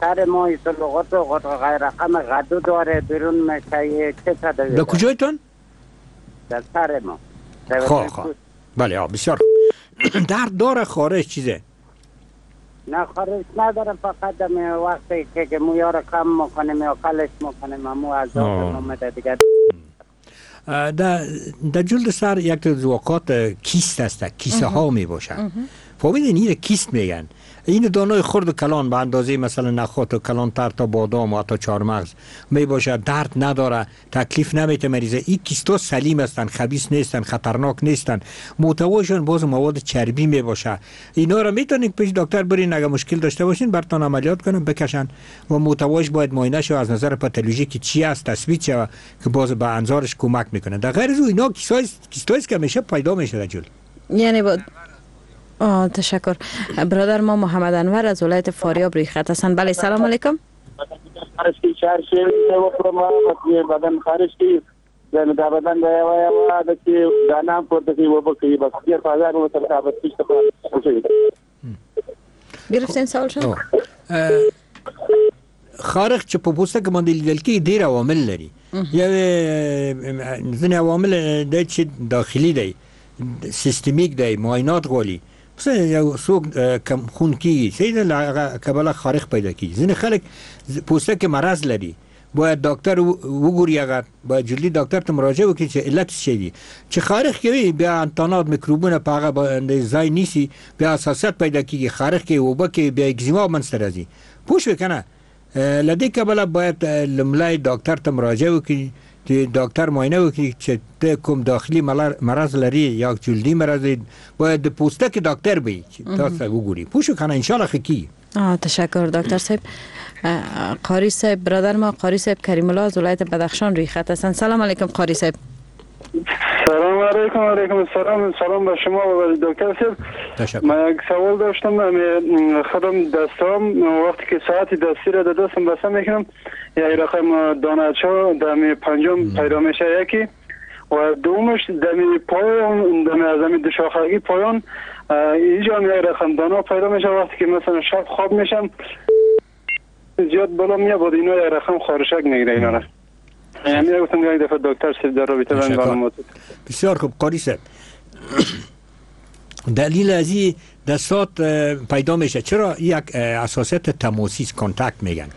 Speaker 7: سر ما لغت و غیر رقم غدو داره بیرون میشه، چه تدابیر؟
Speaker 3: در کجایتان؟
Speaker 7: در سر ما.
Speaker 3: خواه بله بسیار درد داره خارش چیزه؟
Speaker 7: نه خارش ندارم، فقط وقتی که مویا رو کم میکنیم یا قلش میکنیم مو عذاب میده دیگه. در جلد سر یک از واقعات کیست است، کیسه ها می باشد.
Speaker 3: فهمیدین؟ این کیست میگن. این دانای خرد و کلان به اندازه مثلا نخود و کلانتر تا بادام و حتی چهارمغز می باشه، درد نداره، تکلیف نمیته مریضه. این کیستا سلیم هستن، خبیث نیستن، خطرناک نیستن، محتواشون باز مواد چربی می باشه. اینا رو میتونید پیش دکتر برین، اگه مشکل داشته باشین براتون عملیات کنن بکشن و محتواش باید معاینه شه از نظر پاتولوژی که چی است تثبیت شه که باز به انظارش کمک میکنه. در غیر از اینا کیستایی که میشه پیدا میشه در جلد.
Speaker 2: یعنی با تشکر. برادر ما محمد انور از ولایت فاریاب روی خط هستند. بله سلام علیکم. گرفتین سوال شما؟
Speaker 3: خارښت چې په پوستکي باندې لیدل کېږي ډېر عوامل لري. یو ځینې عوامل دی چې داخلي دی، سیستمیک دی، معاینات غواړي. مثلا یو څوک کم خون کېږي، صحیح ده، له هغه کبله خارښت پیدا کېږي. ځینې خلک پوستکي مرض لري، باید دکتر وګوري، هغه باید جلدي دکتر ته مراجعه وکړي چې علت څه دی. چې خارښت کوي بیا انتانات میکروبونه په هغه باندې ځای نیسي، بیا حساسیت پیدا کېږي، خارښت کوي، اوبه کوي، بیا اکزیما منځته راځي. پوه شوې که نه؟ له دې کبله باید لومړی دکتر ته مراجعه وکړي چې دکتر معاینه وکړي چې ته کوم داخلي مرض لري یا جلدي مرض لري، باید د پوستکي دکتر وي چې تاسو وګوري. پوه شو که نه؟ انشاءالله ښه کېږي.
Speaker 2: تشکر دکتر صاحب. قاری صاحب، برادر ما قاری صاحب کریم الله از ولایت بدخشان روی خط هستند. سلام علیکم قاری صاحب.
Speaker 9: سلام علیکم. علیکم السلام. سلام به شما و دکتر صاحب. من یک سوال داشتم. خودم دستام وقتی که ساعت دستی را در دستم بسته میکنم یک رقم دانه‌چا دمی پنجم پیدا میشه یکی، و دومش دمی پایان دمی از دمی دوشاخگی پایان اینجا هم یک رقم دانه پیدا میشه. وقتی که مثلا شب خواب میشم زیاد بالا میاد، اینا یک رقم خارشک میگیره اینا را. یعنی گفتم یک دفعه دکتر صاحب در رابطه با معلومات.
Speaker 3: بسیار خوب قاری صاحب. دلیل از این دستات پیدا میشه چرا؟ یک حساسیت تماسی contact میگن.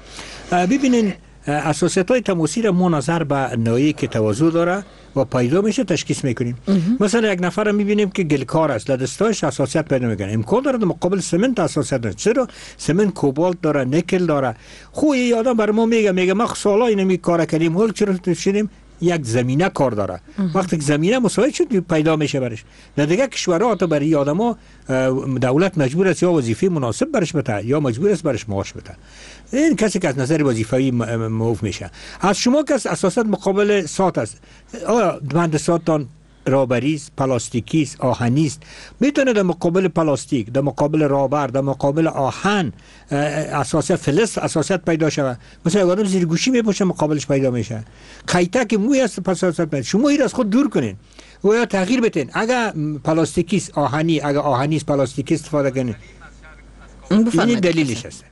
Speaker 3: ببینین حساسیت های تماسی را ما نظر به نوعی که تواضع داره و پیدا میشه تشخیص میکنیم. مثلا یک نفر میبینیم که گلکار است، لدستاش حساسیت پیدا میکنه، امکان داره در مقابل سمنت حساسیت داره. چرا؟ سمنت کوبالت داره، نیکل داره. خو این آدم بر ما میگه ما سالا اینمی کار کردیم، حال چرا شدیم؟ یک زمینه کار داره. وقتی که زمینه مساعد شد پیدا میشه برش. در دیگه کشورها حتی برای آدما دولت مجبور است یا وظیفه مناسب برش بده یا مجبور است برش معاش بده. این کسی که از نظر وظیفه‌ای موف میشه. از شما کس اساسا مقابل ساعت است. آیا بند ساعتان رابری است، پلاستیکی است، آهنی است؟ میتونه در مقابل پلاستیک، در مقابل رابر، در مقابل آهن اساسیت فلز اساسیت پیدا شود. مثلا یک آدم زیر گوشی میپوشه مقابلش پیدا میشه. قیتک موی است پس اساسیت پیدا. شما این از خود دور کنین و یا تغییر بدین. اگر پلاستیکی است آهنی، اگر آهنی است پلاستیکی استفاده کنین. این دلیلش است.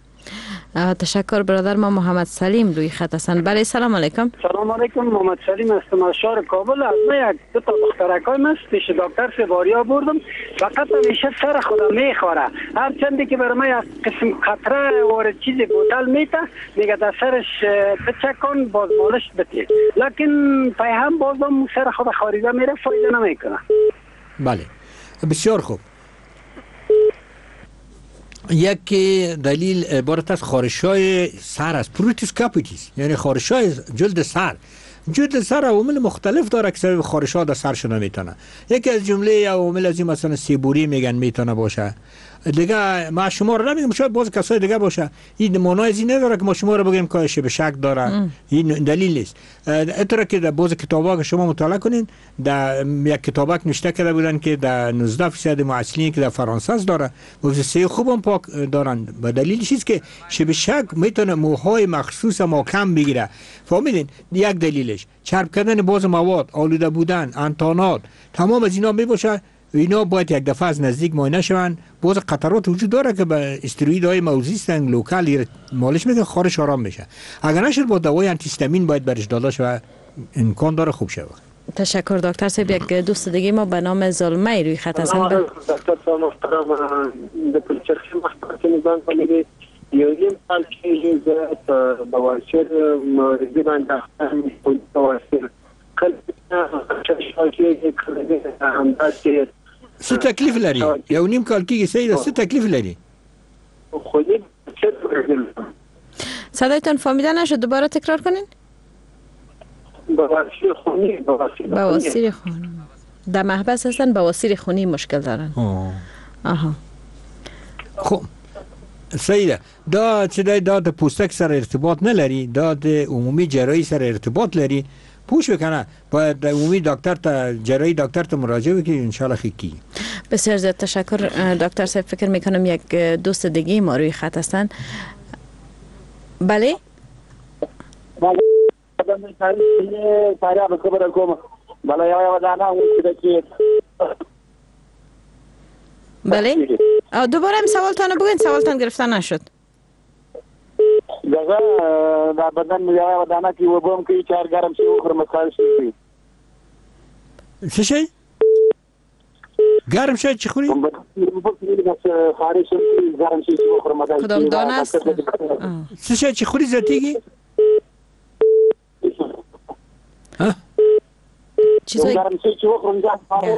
Speaker 2: تشکر برادر ما محمد سلیم روی خط هستند. بله سلام علیکم.
Speaker 7: سلام علیکم، محمد سلیم هستم از شهر کابل. از من یک دو تا دخترکای من پیش دکتر سباریا بردم، فقط همیشه سر خودم میخوره. هر چندی که برای من یک قسم قطره وارد چیز بوتل میته، میگه در سرش بچکن باز مالش بده، لکن پای هم بازم سر خود خاریده میره، فایده نمیکنه.
Speaker 3: بله بسیار خوب. یکی دلیل عبارت از خارش‌های سر است، pruritus capitis، یعنی خارش‌های جلد سر. جلد سر عوامل مختلف داره که سبب خارش‌ها در سر شده میتونه. یکی از جمله عوامل از این مثلا seborrhea میگن میتونه باشه. دیگه ما شما رو نمیگم، شاید باز کسای دیگه باشه. این معنای از این نداره که ما شما رو بگیم که به شک داره، این دلیل نیست. اینطور که در باز کتابا که شما مطالعه کنین، در یک کتابک نوشته کرده بودن که در 19% محصلین که در فرانسه است داره موسسه خوبم پاک دارن. و دلیلش است که شب شک میتونه موهای مخصوص ما کم بگیره. فهمیدین؟ یک دلیلش چرب کردن باز مواد، آلوده بودن، انتانات، تمام از اینا میباشه. اینا باید یک دفعه از نزدیک معاینه شوند. باز قطرات وجود داره که به استروئیدهای موضعی هستن، local مالش میده، خارش آرام میشه. اگر نشد با دوای آنتی باید برش داده شود، امکان داره خوب شود.
Speaker 2: تشکر دکتر صاحب. یک دوست دیگه ما به نام زلمی روی خط هستند.
Speaker 1: دکتر صاحب محترم، د پلچرخي محکمې نظام باندې یو نیم کال کېږي زه په بواسیر مریضي باندې اخته یم. بواسیر کله کېږي، کله همداسې
Speaker 3: څه تکلیف لري؟ یو نیم کال کېږي، صحیح ده. څه تکلیف لري؟
Speaker 2: صدایتان فهمیده نشد، دوباره تکرار کنین.
Speaker 7: بواسیر خونی.
Speaker 2: بواسیر خونی در محبس هستن، بواسیر خونی مشکل دارن. آها،
Speaker 3: خب صحیح ده. دا چې دی دا د پوستک سره ارتباط نه لري، دا د عمومي جراحي سره ارتباط لري. پوه شوې که نه؟ باید د عمومي دکتر ته، جراحي دکتر ته مراجعه وکړي، انشاءالله ښه کیږي.
Speaker 2: بسیار زیاد تشکر دکتر صاحب. فکر میکنم یک دوست دیگه ما روی خط هستن. بله بله، دوباره هم سوالتان رو بگوین، سوالتان گرفته نشد.
Speaker 7: دغه دا بدن یو دانه کې وبم کې چار ګرم شي وخورم خارج شي.
Speaker 3: څه شي؟ ګرم شي چې خوري؟
Speaker 7: خارج شي ګرم شي چې وخورم.
Speaker 2: کدام دانه است؟
Speaker 3: څه شي چې خوري زیاتېږي؟
Speaker 2: چیزای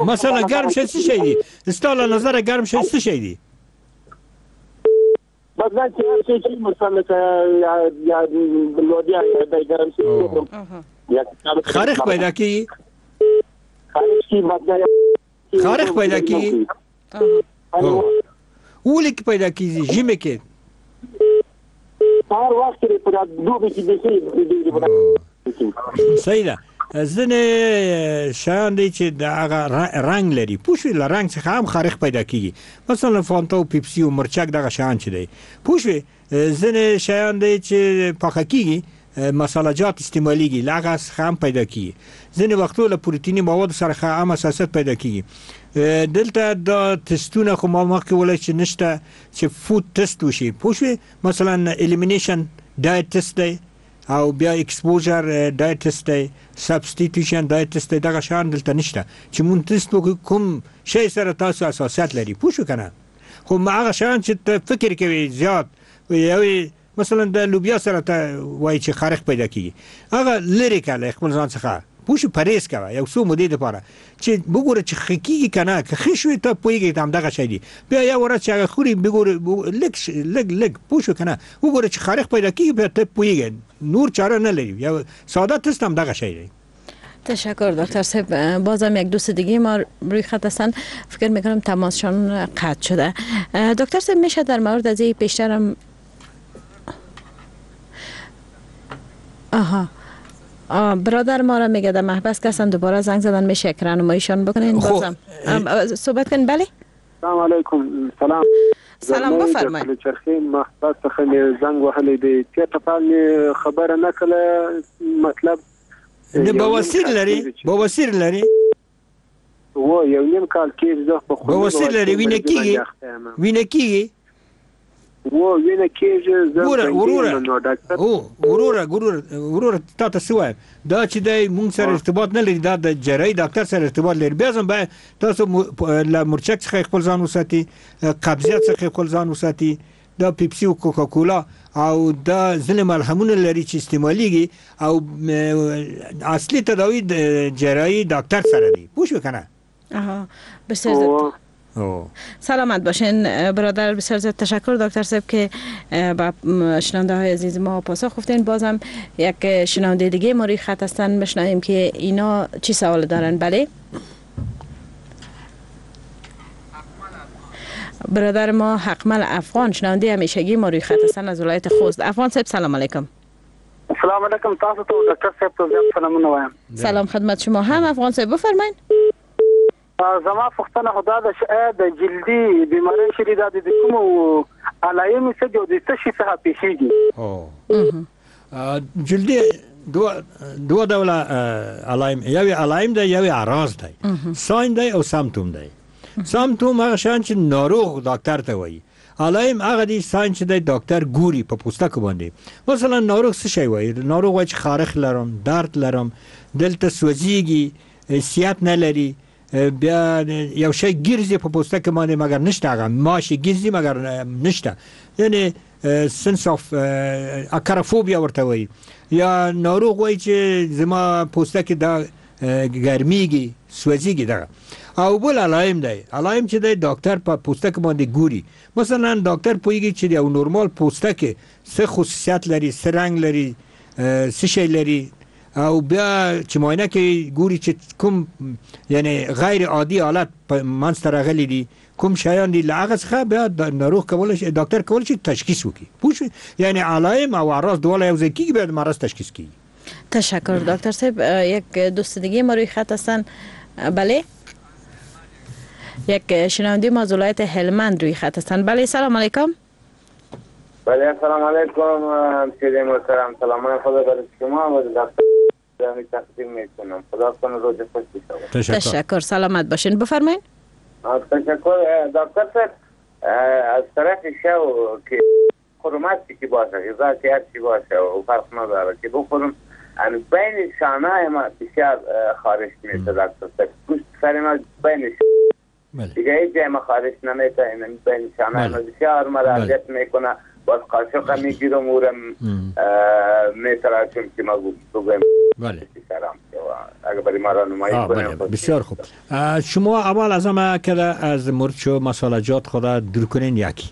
Speaker 3: مثلا ګرم شي څه شي دي؟ ستا له نظره ګرم شي څه شي دي؟
Speaker 7: بس دا چې هر شی چې مثلا لکه یا لودیا د ګرم شي
Speaker 3: خارښ پیدا کیږي. خارښ پیدا کیږي. ولې کې پیدا کیږي؟ ژمي کې
Speaker 7: هر وخت کې په دوبي کې بیخي.
Speaker 3: صحیح ده. ځینې شیان دی چې د هغه رنګ لري، پوه شوې؟ له رنګ څخه هم خارښ پیدا کیږي، مثلا فانتا او پیپسي او مرچک دغه شیان چې دی، پوه شوې؟ ځینې شیان دی چې پخه کیږي، مسالجات استعمالیږي، له هغه څخه هم پیدا کیږي. ځینې وختو له پروتیني موادو سره هم حساسیت پیدا کیږي. دلته دا تستونه خو ما مخکې وویل چې نشته چې food test وشي، پوه شوې؟ مثلا elimination diet test دی، او بیا exposure diet test دی، substitution diet test دی، دغه شیان دلته نشته چې مونږ تست وکړو کوم شی سره تاسو حساسیت لري، پوه شو که نه؟ خو هغه شیان چې ته فکر کوې زیات یوې، مثلا د لوبیا سره ته وایي چې خارښ پیدا کیږي، هغه لرې کړه له خپل ځان څخه، پوه شو؟ پرهیز کوه یو څو مودې دپاره چې وګوره چې ښه کیږي که نه. که ښه شوې ته پوهېږې همدغه شی دی. بیا یو ورځ چې هغه خوري وګوره لږ لږ لږ، پوه شو که نه؟ وګوره چې خارښ پیدا کیږي، بیا ته پوهېږې، نور چاره نه لري. یو ساده تست همدغه شی دی.
Speaker 2: تشکر دکتر صاحب. بازم یک دوست دیگه ما روی خط هستن، فکر میکنم تماسشان قطع شده. دکتر صاحب میشه در مورد از این پیشترم آها برادر ما را میگه در محبس کسان دوباره زنگ زدن، میشه یک راهنماییشان بکنین؟ بازم صحبت کنین. بله
Speaker 7: سلام علیکم. سلام
Speaker 2: سلام، بفرمایئ.
Speaker 7: چرخې محبس څخه مې زنګ وهلی دی، چېرته پال مې خبره نه کړه. مطلب
Speaker 3: نه بواسیر لري؟ بواسیر لري؟
Speaker 7: و یو نیم کال کېږي زه په خوني
Speaker 3: بواسیر لري. وینه کېږي؟ وینه کېږي؟
Speaker 7: و وینه کېږي.
Speaker 3: وروره وروره وروره تا ته څه وایم، دا چې دی مونږ سره ارتباط نه لري، دا د جراحي ډاکټر سره ارتباط لري. بیا هم باید تاسو له مرچک څخه خپل ځان وساتي، قبضیت څخه خپل ځان وساتي، دا پیپسي او کوکاکولا او دا ځینې ملهمونه لري چې استعمالیږي، او اصلي تداوي د جراحي ډاکټر سره دی، پوه شوې که نه؟
Speaker 2: آها، بسیار سلامت باشین برادر. بسیار زیاد تشکر دکتر صاحب که با شنونده های عزیز ما پاسخ گفتین. بازم یک شنونده دیگه ما روی خط هستن، بشنویم که اینا چی سوال دارن. بله برادر ما حقمل افغان، شنونده همیشگی ما روی خط هستن از ولایت خوست. افغان صاحب سلام علیکم.
Speaker 7: سلام علیکم تاسو ته دکتر صاحب ته زیات سلامونه وایم.
Speaker 2: سلام خدمت شما هم افغان صاحب، بفرمایید.
Speaker 7: زما پوښتنه خو دا ده چې آیا د جلدي بیمارۍ چې دي دا د کومو علایم څه دي او د څه شي څخه پېښېږي؟
Speaker 3: جلدي دوه ډوله علایم، یو یې علایم دی، یو یې اعراض دی، sign دی او symptom دی. symptom هغه شیان چې ناروغ ډاکټر ته وایي، علایم هغه دي sign چې دی ډاکټر ګوري په پوستکو باندې. مثلا ناروغ څه شی وایي؟ ناروغ وایي چې خارښ لرم، درد لرم، دلته سوځېږي، حسیت نه لري، بیا یو شی ګرځي په پوستکي باندې مګر نشته، هغه ماشي ګرځي مګر نشته، یعنی sense of acarophobia ورته وایي. یا ناروغ وایي چې زما پوستکی دا ګرمیږي، سوځېږي دغه. او بل علایم دی، علایم چې دی ډاکټر په پوستک باندې ګوري. مثلا ډاکټر پوهیږي چې یو نورمال پوستک څه خصوصیت لري، څه رنګ لري، څه شی لري، او بیا چې معاینه کوي ګوري چې کوم یعنی غیر عادي حالت منځته راغلي دي، کوم شیان دي، له هغه څخه بیا ناروغ کولی شي، ډاکټر کولی شي تشخیص وکړي. پوه شوې؟ یعنی علایم او اعراض دواړه یو ځای کېږي، بیا د مرض تشخیص کېږي.
Speaker 2: تشکر دکتر صاحب. یک دوست دیگه ما روی خط هستن. بله، یک شنونده ما از ولایت هلمند روی خط هستن. بله، سلام علیکم.
Speaker 10: بله، سلام علیکم همشیره محترم، سلام خدا بر شما و دکتر تقدیم میکنم. خدا کنه روز خوش بشه.
Speaker 2: تشکر، سلامت باشین. بفرمایید.
Speaker 10: تشکر دکتر صاحب. از طرف شو که خورم که باشه، غذا که هر چی باشه و فرق نداره که بخورم، بین شانه ما بسیار خارش میشه دکتر صاحب. گوشت سر ما بین دیگه هیچ جای ما خارش نمیشه، بین شانه ما بسیار مرا اذیت میکنه. باز قاشق میگیرم اورم میتراشم که ما بگویم.
Speaker 3: بله.
Speaker 10: اگر برای ما راهنمایی کنیم.
Speaker 3: بسیار خوب. شما اول از همه که از مرچ و مسالجات خود دور کنین یکی.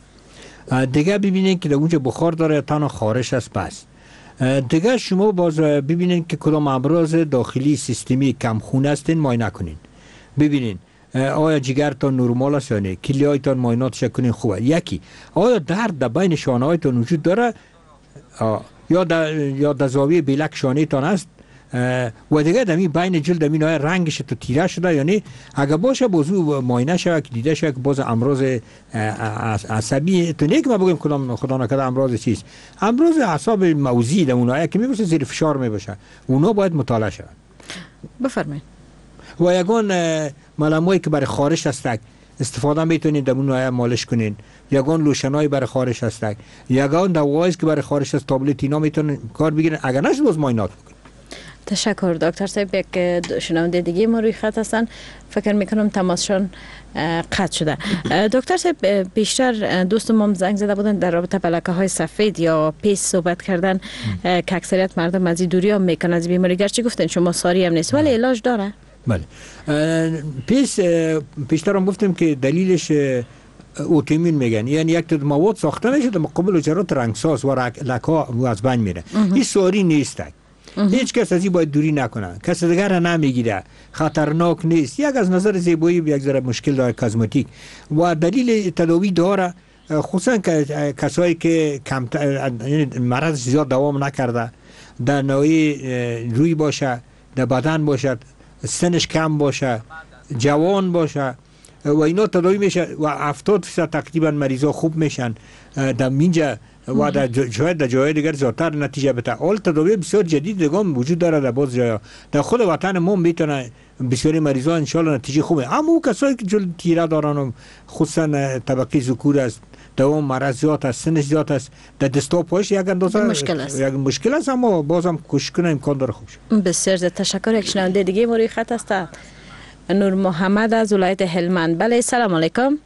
Speaker 3: دیگه ببینین که در اونجا بخار داره تنها خارش است بس. دیگه شما باز ببینین که کدام امراض داخلی سیستمی کمخون هستین معاینه کنین. ببینین آیا جگرتان نرمال است یا نه، کلیه‌هایتان معایناتش کنین خوبه. یکی آیا درد در بین شانه‌هایتان وجود داره یا در زاویه بیلک شانه‌تان است، و دیگه دمی بین جلد دمی نای رنگش تو تیره شده یا نه. اگه باشه بازو معاینه شود که دیده شود که باز امراض عصبی تو نه که ما بگیم کدام خدا نکرده امراض چیز، امراض اعصاب موضعی در اونایی که میباشه زیر فشار میباشه، اونا باید مطالعه شود.
Speaker 2: بفرمایید.
Speaker 3: و یگان ملمایی که برای خارش هست استفاده میتونید در اون مالش کنین، یگان لوشنای برای خارش هست، یگان دوایی که برای خارش است تابلت اینا میتونن کار بگیرن. اگر نشد باز معاینات بکنین.
Speaker 2: تشکر دکتر صاحب. یک شنونده دیگه ما روی خط هستن، فکر میکنم تماسشان قطع شده. دکتر صاحب بیشتر دوست ما زنگ زده بودن در رابطه با لکه های سفید یا پیس صحبت کردن که اکثریت مردم از این دوری هم میکنن از بیماری، گرچه گفتن شما ساری هم نیست ولی علاج داره.
Speaker 3: بله، پیس پیشتر هم گفتیم که دلیلش اوتیمین میگن، یعنی یک تعداد مواد ساخته میشه در مقابل حجرات رنگساز و لکه ها از بین میره. این ساری نیست، هیچ کس از این باید دوری نکنه، کس دیگر را نمیگیره، خطرناک نیست. یک از نظر زیبایی یک ذره مشکل داره کازمتیک و دلیل تداوی داره، خصوصا که کسایی که کم یعنی مرض زیاد دوام نکرده، در نوعی روی باشه، در بدن باشد، سنش کم باشه، جوان باشه و اینا تداوی میشه و 70% تقریبا مریضا خوب میشن در اینجا و در شاید در جای دیگر زیادتر نتیجه بده. حال تداوی بسیار جدید دیگه وجود داره در باز جای در خود وطن ما میتونه بسیاری مریضا ان شاء الله نتیجه خوبه. اما او کسایی که جلد تیره دارن و خصوصا طبقه ذکور است، دوام مرض زیاد است، سنش زیاد است، در دستا پایش یک اندازه
Speaker 2: مشکل است،
Speaker 3: یک مشکل است، اما بازم کوشش کنه امکان داره خوب شه.
Speaker 2: بسیار تشکر. یک شنونده دیگه ما روی خط است، نور محمد از ولایت هلمند. بله، سلام علیکم.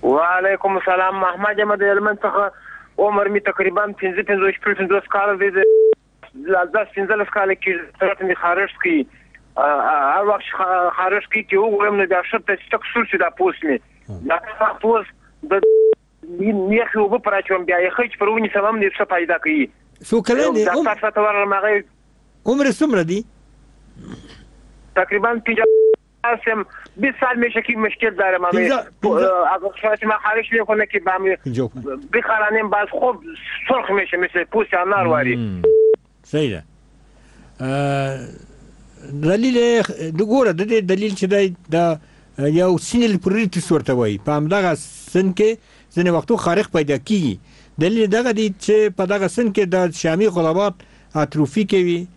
Speaker 11: و علیکم السلام. محمد یم د هلمند څخه. عمر می تقریبا 55 کاله دی، 10 15 کاله کېږي سرت مې خارښت کوي. هر وخت خارښت کوي چې وګورم نو بیا ښه تک سور شي دا پوست مې، دا پوست د یخې اوبه پر اچوم، بیا یخې چې پر ونیسم هم څه پیدا کوي.
Speaker 3: څو کلن دی؟
Speaker 11: ډاکټر صاحب ته ورغلم، هغه
Speaker 3: عمر څومره دی؟
Speaker 11: تقریبا 50 20 سال میشه که مشکل دارم. اگر ما خارش میکنه که بخرانیم باز خوب سرخ میشه مثل پوست انار واری.
Speaker 3: صحیح ده. دلیل ګوره د دې دلیل چې دی دا یو سینل پروریتس ورته وایي، په همدغه سن کې ځینې وختو خارښ پیدا کیږي. دلیل دغه دی چې په دغه سن کې د شامی غلبات اتروفي کوي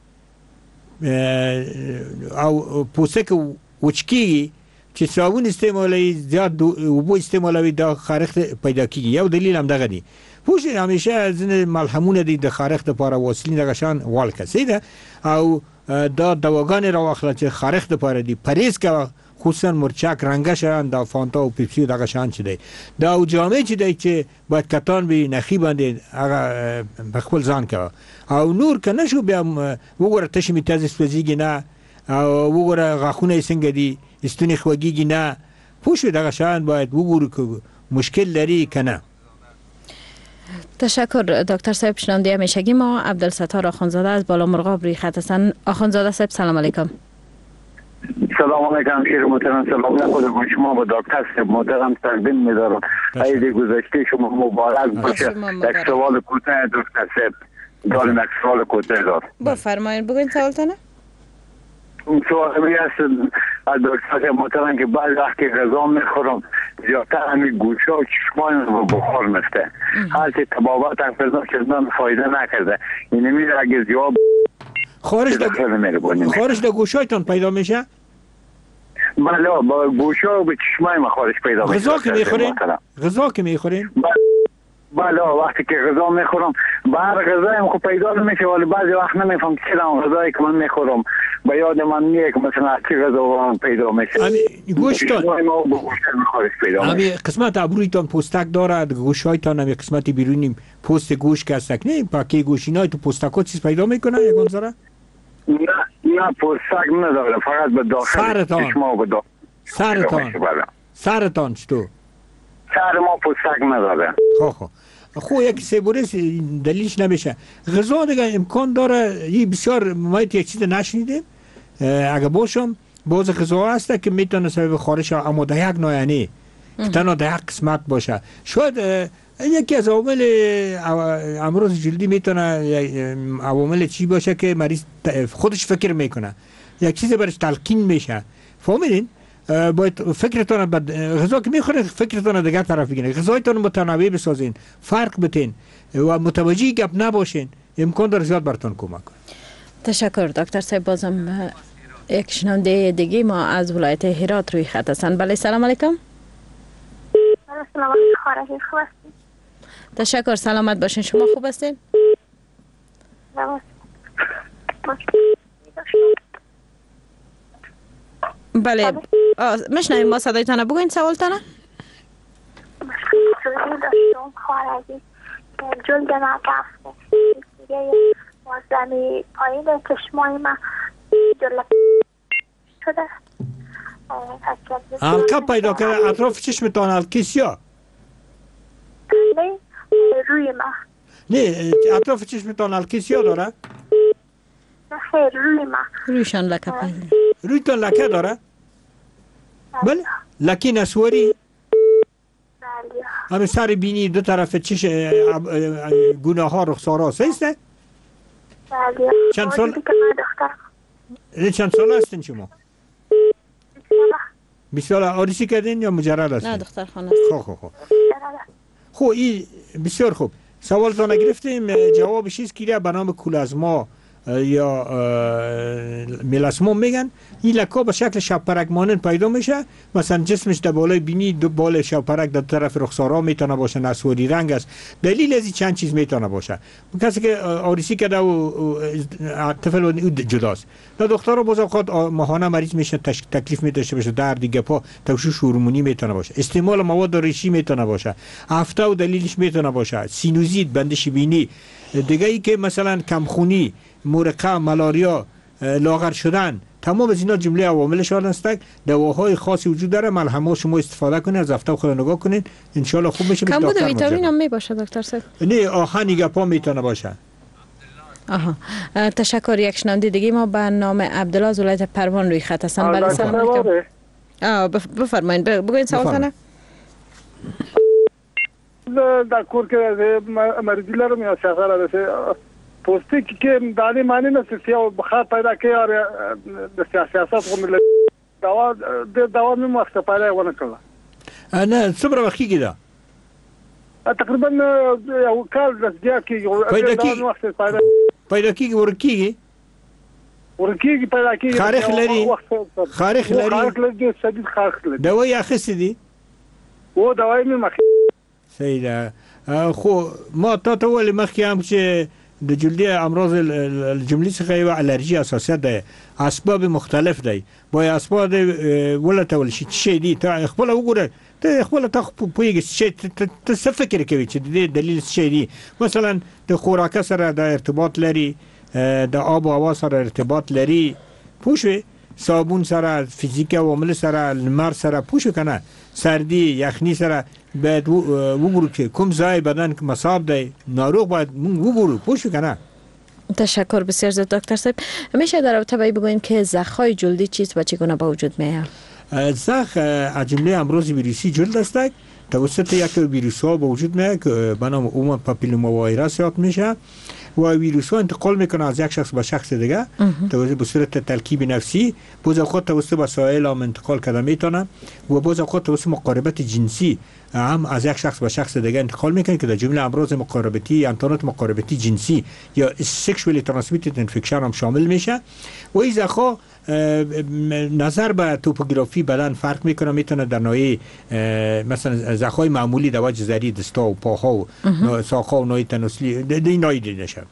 Speaker 3: او پوستکی وچ کیږي، چې صابون استعمالوي، زیات اوبو استعمالوي، دا خارښت پیدا کیږي. یو دلیل هم دغه دی. پوه شئ همیشه ځینې ملهمونه دي د خارښت لپاره، واسلین دغه شان والکه، صحیح ده، او دا دواګانې راواخله چې خارښت لپاره دي. پرهیز کوه، خصوصا مرچک رنګه شیان، دا فانتا او پیپسی دغه شان چې دی، دا او جامې چې دی چې باید کتان وي نخي باندې هغه په خپل ځان کوه. او نور که نه شو بیا وګوره تشې مې تازه سوځېږي نه، او وګوره غاښونه یې څنګه دي، ستونی خوږیږي نه، پوه شوې؟ دغه شیان باید وګورو که مشکل لري که نه.
Speaker 2: تشکر دکتر صاحب. شنونده همیشگی ما عبدالستار آخوندزاده از بالا مرغاب روی خط هستند. آخوندزاده صاحب سلام علیکم.
Speaker 12: سلام علیکم شیر محترم، سلام خود شما با دکتر صاحب محترم تقدیم می‌دارم. عید گذشته شما مبارک باشه. یک سوال کوتاه دکتر صاحب دارم، یک سوال کوتاه دارم.
Speaker 2: بفرمایید بگوین سوالتان.
Speaker 12: سوال می است از دکتر محترم که بعض وقت که غذا میخورم زیادتر همین گوشا و چشمان رو بخار میفته، هرچی طبابت هم کردم که فایده نکرده. اینه میره اگه زیاد
Speaker 3: خارش در گوشایتان پیدا میشه؟
Speaker 12: بله، با گوشا و به چشمای ما خارش پیدا میشه.
Speaker 3: غذا که میخورین؟ غذا که میخورین؟
Speaker 12: بله، وقتی که غذا میخورم به هر غذایم خب پیدا نمیشه، ولی بعضی وقت نمیفهم چرا غذایی که من میخورم به یاد من نیه که مثلا از چه غذا من پیدا میشه.
Speaker 3: گوشتان همی قسمت ابرویتان پوستک دارد، گوشایتان همی قسمت بیرونی پوست گوش که هستک نه پاکی گوش اینای تو پوستک ها چیز پیدا میکنه یکان ذره؟
Speaker 12: نه نه پوستک نداره، فقط به داخل چشما و به داخل
Speaker 3: سرتان. سرتان چطور؟
Speaker 12: سر ما پوستک نداره.
Speaker 3: خب خب یک سیبوریس دلیلش نمیشه. غذا دیگه امکان داره، این بسیار ما یک چیز نشنیدیم، اگه باشم باز غذا هست که میتونه سبب خارش، اما در یک نوع نه که تنها در یک قسمت باشه. شاید یکی از عوامل امراض جلدی میتونه عوامل چی باشه که مریض خودش فکر میکنه، یک چیز برش تلقین میشه. فهمیدین؟ باید فکرتان غذا که میخورید فکرتان دیگر طرف بگیرید، غذایتان متنوع بسازین، فرق بتین و متوجه گپ نباشین، امکان داره زیاد براتون کمک کنه.
Speaker 2: تشکر دکتر صاحب. بازم یک شنونده دیگه ما از ولایت هرات روی خط هستند. بله سلام علیکم.
Speaker 13: سلام علیکم، خوب هستین؟
Speaker 2: تشکر، سلامت باشین. شما خوب هستین؟ بله میشنویم ما صدایتان، بگوین سوالتان.
Speaker 13: مشکل جلدی داشتم خواهر عزیز، جلد من رفت دیگه وازمی پایین چشمای من جلد شده،
Speaker 3: حلقه پیدا کرده اطراف چشمتان، حلقه سیاه؟
Speaker 13: نه روی ما.
Speaker 3: نه اطراف چشمتان حلقه سیاه داره؟
Speaker 13: نه خیر روی ما.
Speaker 2: رویشان لکه پیدا.
Speaker 3: رویتان لکه داره؟ بله لکه نسواری؟
Speaker 13: بله.
Speaker 3: همه سر بینی دو طرف چش گونه ها رخسارا هست؟
Speaker 13: بله.
Speaker 3: چند سال؟ چند سال هستین شما؟ 20 ساله. عروسی کردین یا مجرد هستین؟
Speaker 2: نه دختر خانه است.
Speaker 3: خب خب خب این بسیار خوب. سوالتان گرفتیم، جوابش چیست که به نام کولازما یا میلاسموم میگن. این لکه به شکل شبپرک مانند پیدا میشه، مثلا جسمش در بالای بینی دو بال شبپرک در طرف رخسارا میتونه باشه، نسواری رنگ است. دلیل از این چند چیز میتونه باشه. کسی که آریسی کرده و طفل او جداست. در دخترها باز اوقات ماهانه مریض میشه، تکلیف می داشته باشه، درد گپا، تشوش هورمونی میتونه باشه، استعمال مواد ریشی میتونه باشه، افته و دلیلش میتونه باشه، سینوزیت، بندش بینی، دیگه ای که مثلا کمخونی، مورقه، ملاریا، لاغر شدن، تمام از اینا جمله عواملش هستند. دواهای خاصی وجود داره، ملهم‌ها شما استفاده کنید، از افته خود نگاه کنید، ان شاء الله خوب میشه.
Speaker 2: کمبود ویتامین هم میباشه دکتر صاحب؟
Speaker 3: نه آهن گپا میتونه باشه.
Speaker 2: آها تشکر. یک شنونده دیگه ما به نام عبدالله از ولایت پروان روی خط هستن. بله سلام علیکم. بفرمایید بگوین سوالتون.
Speaker 14: دا کور کې مریض لرم یا سفر ده پوستکی کې دانې معنی نه سیاه بخار پیدا کوي او د سیاست غوندې دوا د دوا مې مخته پیدا ونه کړله.
Speaker 3: نه څومره وخت کېږي دا؟
Speaker 14: تقریبا یو کال د زیات کېږي.
Speaker 3: پیدا کېږي ورکېږي
Speaker 14: ورکېږي پیدا کېږي.
Speaker 3: خارښ لري؟ خارښ لري،
Speaker 14: خارښ لري، ډېر شدید خارښ لري.
Speaker 3: دوا یې اخیستې دي؟
Speaker 14: و دوا یې مې مخکې.
Speaker 3: صحیح ده. خو ما تا ته وویل مخکې هم چې د جلدی امراض جملې څخه یوه الرژي حساسیت ده، اسباب مختلف دی، باید اسباب ولټول شي چې شی دي. ته خپله وګوره، ته خپله ته پوهېږې چې ته څه فکر کوې چې د دې دلیل څه شی دي. مثلا د خوراکه سره د ارتباط لري، د آب و هوا سره ارتباط لري، پوه شوې؟ صابون سره، فیزیک عوامل سره، لمر سره، پوه کنه، سردی، یخنی سره باید وګورو چې کوم ځای بدن مصاب دی، ناروغ باید مونږ وګورو، پوه کنه.
Speaker 2: تشکر بسیار زیاد دکتر صاحب. میشه در رابطه با بگوییم که زخم‌های جلدی چیست و چگونه به وجود میاد؟
Speaker 3: زخم از جمله امراض ویروسی جلد است، توسط یک ویروس ها به وجود میاد که به نام human papilloma virus یاد میشه و ویروس ها انتقال میکنه از یک شخص به شخص دیگه توسط به صورت تلکیب نفسی، باز اوقات توسط وسایل هم انتقال کرده میتونه و باز اوقات توسط مقاربت جنسی هم از یک شخص به شخص دیگه انتقال میکنه که در جمله امراض مقاربتی، انتانات مقاربتی جنسی یا sexually transmitted infection هم شامل میشه. و این زخم نظر به توپوگرافی بدن فرق میکنه، میتونه در نوعی مثلا زخم‌های معمولی در وجه زری دستا و پاها و ساق‌ها و نوعی تناسلی دی نوعی دیده شه.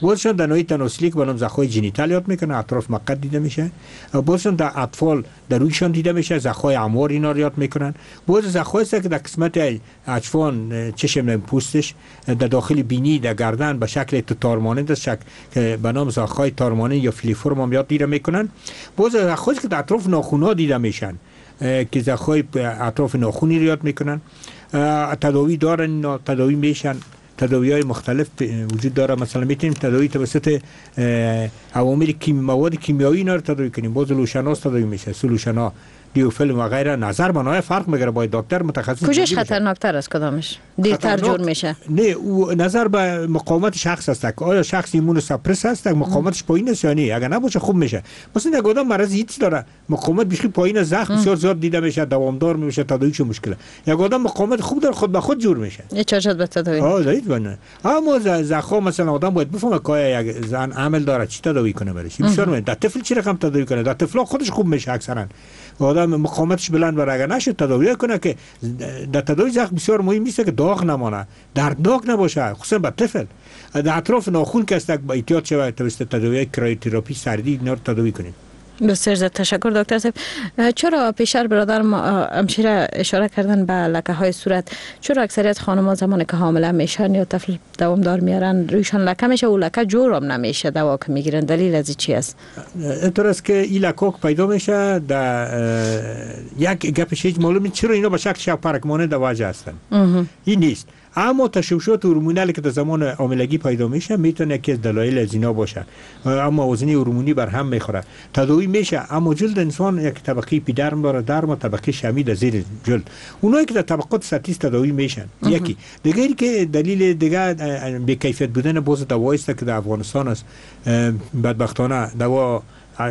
Speaker 3: بازشون در نوعی تناسلی که به نام زخم‌های genital یاد میکنه، اطراف مقعد دیده میشه. بازشون در اطفال در رویشان دیده میشه، زخم‌های عمار اینا رو یاد میکنن. باز زخم‌هایی که در قسمت اجفان چشم پوستش، در داخل بینی، در گردن به شکل تار مانند است که به نام زخم‌های تار مانند یا filiform هم یاد دیده میکنن. باز زخم‌هایی که در اطراف ناخن‌ها دیده میشن که زخم‌های اطراف ناخونی رو یاد میکنن، تداوی دارن، تداوی میشن، تداوی های مختلف وجود داره. مثلا میتونیم تداوی توسط عوامل مواد کیمیایی اینا رو تداوی کنیم. باز لوشناس تداوی میشه، solution ها، دیوفیلم و غیره. نظر بنای فرق میگیره، باید دکتر متخصص.
Speaker 2: کجاش خطرناکتر است؟ کدامش دیرتر جور میشه؟
Speaker 3: نه، او نظر به مقاومت شخص است که آیا شخص immunosuppress است، مقاومتش پایین است یا نه. اگر نباشه خوب میشه. مثلا یک آدم مرض ایدز داره، مقاومت بیشتر پایین، زخم بسیار زیاد دیده میشه، دوامدار میشه، تداویش مشکله. یک آدم مقاومت خوب داره، خود به خود جور میشه.
Speaker 2: چه به تداوی؟
Speaker 3: آه، اما زخم مثلا آدم باید بفهمه که یک زن عمل داره چی تداوی کنه برش. بسیار مهم. در طفل چی رقم تداوی کنه؟ در طفل خودش خوب میشه اکثرا. آدم مقاومتش بلند بر اگر نشه تداوی کنه که در تداوی زخم بسیار مهم نیست که داغ نمانه، دردناک نباشه، خصوصا به طفل. در اطراف ناخن که است با احتیاط شود، توسط تداوی cryotherapy سردی اینا رو تداوی کنیم.
Speaker 2: بسیار زیاد تشکر دکتر صاحب. چرا پیشتر برادر ما امشیره اشاره کردن به لکه های صورت، چرا اکثریت خانم زمانی که حامله میشن یا طفل دوامدار میارن رویشان لکه میشه و لکه جور هم نمیشه، دوا که میگیرن، دلیل از چی است؟
Speaker 3: اینطور است که این لکه پیدا میشه در یک گپش هیچ معلوم چرا اینا به شکل شب مانند در وجه هستن، این نیست. اما تشوشات هورمونالی که در زمان حاملگی پیدا میشه میتونه یکی از دلایل از اینا باشه. اما وزنی هورمونی بر هم میخوره، تداوی میشه. اما جلد انسان یک طبقه اپیدرم داره، درم و طبقه شمی در زیر جلد، اونایی که در طبقات سطحی تداوی میشن. یکی دیگه که دلیل دیگه بی کیفیت بودن باز دوایی است که در افغانستان است. بدبختانه دوا